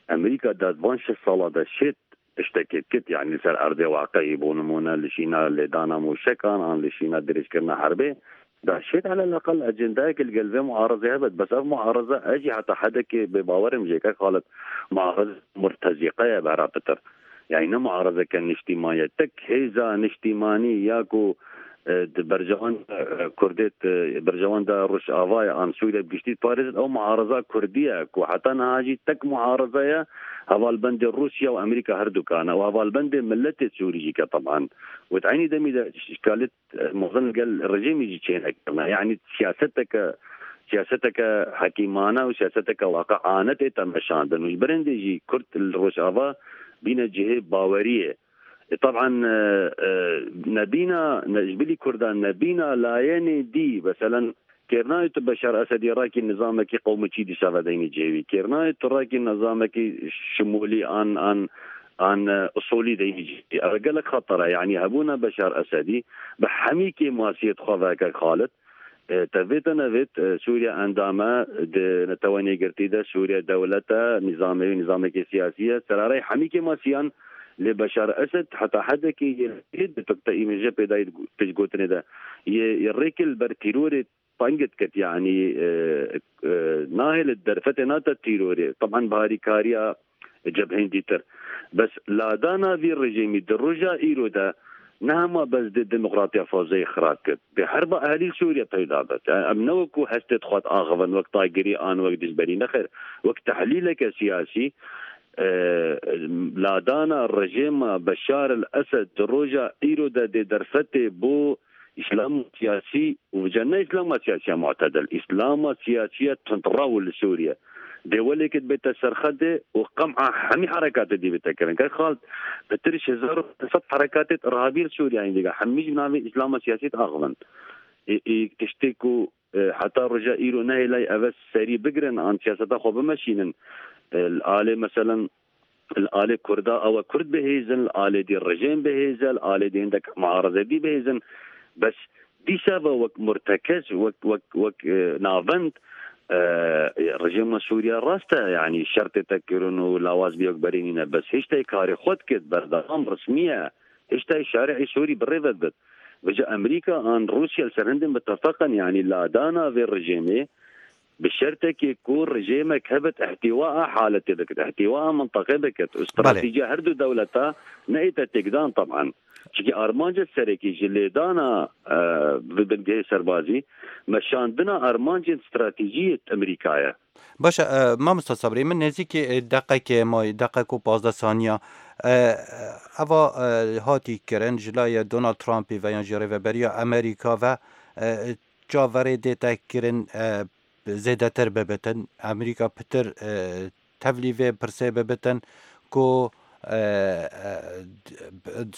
Amerîka de di van şeş sala de şêt Tiştekê dikit yanî li ser erdê waqeyî bo nimûne li şîna lêdana mûşekan an li şîna dirêjkirina herbê da şêt eleleqel ecendayekê li gel vê muarezê hebet bes ev muareze ez jî heta hedekê bêbawer im jê kek Xalid muareze murtezîqe ye bera pitir yanî ne muarezeke niştîman ye tek hêza niştîmanî ya ku. di berjewenda Kurdê berjewenda Rojavayê an Sûriye bi giştî diparêzin ew muareza Kurdî ye ku heta niha jî tek muareze ye hevalbendê Rûsya û Amerîka her dukan e û hevalbendê miletê Sûrî jî ke teban û di eynî demî de şikalit mezin li gel rejîmê jî çênekirine yanî siyaseteke siyaseteke hekîmane û siyaseteke waqiane tê temeşandin û ji ber hindê jî Kurd li Rojava bîne cihê baweriyê. Taban nebîna ji bilî Kurdan nebîna layenê dî meselen kêrnayê tu Beşar Esedî rakî nizamekî qewmiçî dîsa vedeynî cihê wî kêrnayê tu rakî nizamekî şimûlî an an an usulî deynî cihê wî ev gelek xeter e yanî hebûna Beşar Esedî bi hemî kêmasiyê dixwe ve kek Xalid Te vê te nevêt Sûriye endam e di Neteweyên Yekgirtî de, Sûriye dewlet e, nîzamê wî nîzamekî siyasî ye, serareyê hemî kêmasiyan lê Beşar Esed heta hedekî yê li di te îmêje pê dayî pêşgotinê de yê rêkê li ber tîrorê teng diket yanî nahêle derfetê nate tîrorê teban bi harîkariya cebhên dîtir. Bes ladana vî rejîmî di roja îro de ne hema bes dê demokratiya fazeyê xirab kir, dê herba ehlî li Sûriye peyda be. Em ne wek ku hestê dixwe diaxivin wek taygirî an wek dijberî nexêr, wek tehlîleke siyasî ladana rejîma Beşar el Esed di roja îro de dê derfetê bo Îslama siyasî û vca ne îslama siyasî ya mu'tedil, îslama siyasî ya tundrew li Sûriye dê welêkê dibête serxedê û qem'a hemî herekatê dî bite kirin. Kek Xalid, pitir ji 1500 herekatê îrhabî li Sûriye heyîn diga hemî ji bi navê îslama siyasî diaxivin. Ê ê tiştê ku heta roja îro nehêlay eve serî bigirin an siyaseta xwe bimeşînin li alê meselen Li alê Kurda ew e Kurd bihêzin, li alê dî rejêm bihêze, li alê dî hindek muareze dî bihêzin. Bes dîsa ve wek murtekez, wek wek wek navend rejêma Sûriye rast e yanî şer tê te kirin û lawaz bî wek berê nîne. Bes hêjtayê karê xwe dikit, berdewam resmî ye. Hêjtayê şari'ê Sûrî birêve dibit. Vêca Amerîka an Rûsya li ser hindên bitefeq in yanî ladana vê rejêmê Bi şertekê ku rejêmek hebit îhtîwaa haletê bikit, îhtîwaa minteqê bikit û stratejîya her du dewleta neyête têkdan teban. Çimkî armanca serekî ji lêdana bi bingehê serbazî, meşandina armancên stratejîyê Amerîka ye. Baş e mamosta Sabrî min nêzîkî deqekê mayî deqek û 15 saniya eva hatî kirin ji layê Donald Trumpî ve yan jî rêveberiya Amerîka ve Çaverê dê te kirin zêdetir bibitin, Amerîka pitir tevlî vê pirsê bibitin ku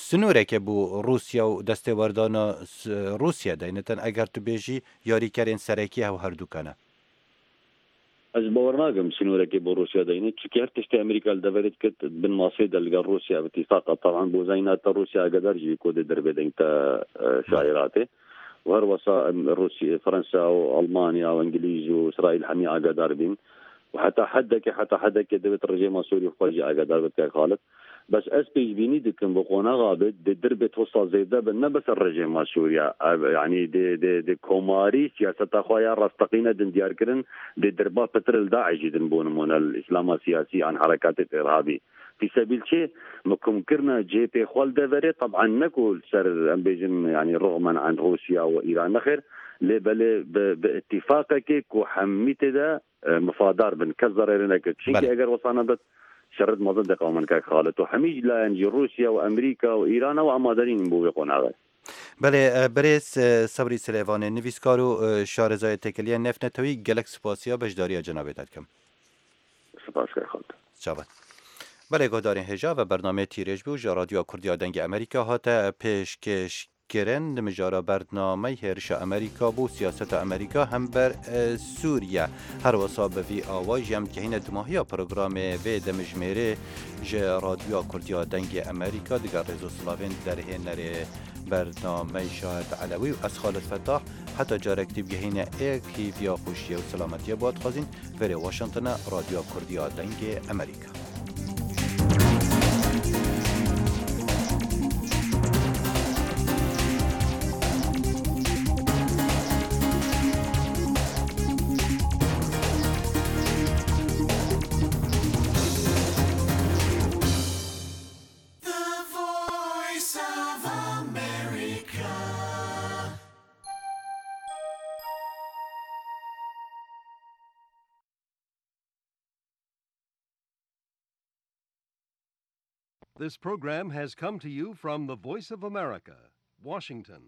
sinorekê bû Rûsya û destêwerdana Rûsya deynitin eger tu bêjî yarîkerên serekî hew herdûka ne. Ez bawer nakim sînorekê bo Rûsya deyne, çimkî her tiştê Amerîka li deverê dikir di bin masê de li gel Rûsya bi tîfaq e. Taban bo zanîna te Rûsya agadar jî bî ku dê derbê deng te şaîratê û her wesa Rûsya, Fransa û Almanya û Îngilîz û Îsraîl hemî agadar bîn û heta hedekê heta hedekê divêt rejîma Sûrî xwe jî agadar bit kek Xalid. Bes ez pêşbînî dikim bi qonaxa bê dê dirbê tosta zêde bin ne bes rejîma Sûriye ev yanî dê dê dê komarî siyaseta xwe ya rasteqîne din diyarkirin dê dirba pitir li DAIŞ jî din bo nimûne li îslama siyasî an herekatê îrhabî fî sebîl çê mikumkirina cihê pê xwe li deverê teb'an ne ku li ser em bêjin yanî rixmen an Rûsya û Îran nexêr lê belê bi bi îtîfaqekê ku hemî tê de mifadar bin, kes zererê neke. Çimkî eger wisa nebe şerit mezin tê qewmin kek Xalid û hemî jî layen jî Rûsya û Amerîka û Îran ew amade nînin bo vê qonaxê. Belê birêz Sebrî Silêvanê nivîskar û şarezayê têkiliyên nêvnetewî gelek spasiya beşdariya cenabê te dikim. Spas kek Xalid. Çawa. Belê guhdarên hêja ve bernameyê Tîrêj bû ji Radyoya Kurdî ya Dengê Amerîka hate pêşkêş kirin di mijara bernamey hêrişa Amerîka bû siyaseta Amerîka hember Sûriye. Her wisa bi vî awayî jî em digihîne dimahiya programê vê demijmêrê ji Radyoya Kurdî ya Dengê Amerîka digel rêz û silavên derhênerê bernamey Şahid Elewî û ez Xalid Fetah heta carek dî bigihîne êk hîviya xweşiyê û selametiyê bo dixwazîn verê Washingtone Radyoya Kurdî ya Dengê Amerîka. This program has come to you from the Voice of America, Washington.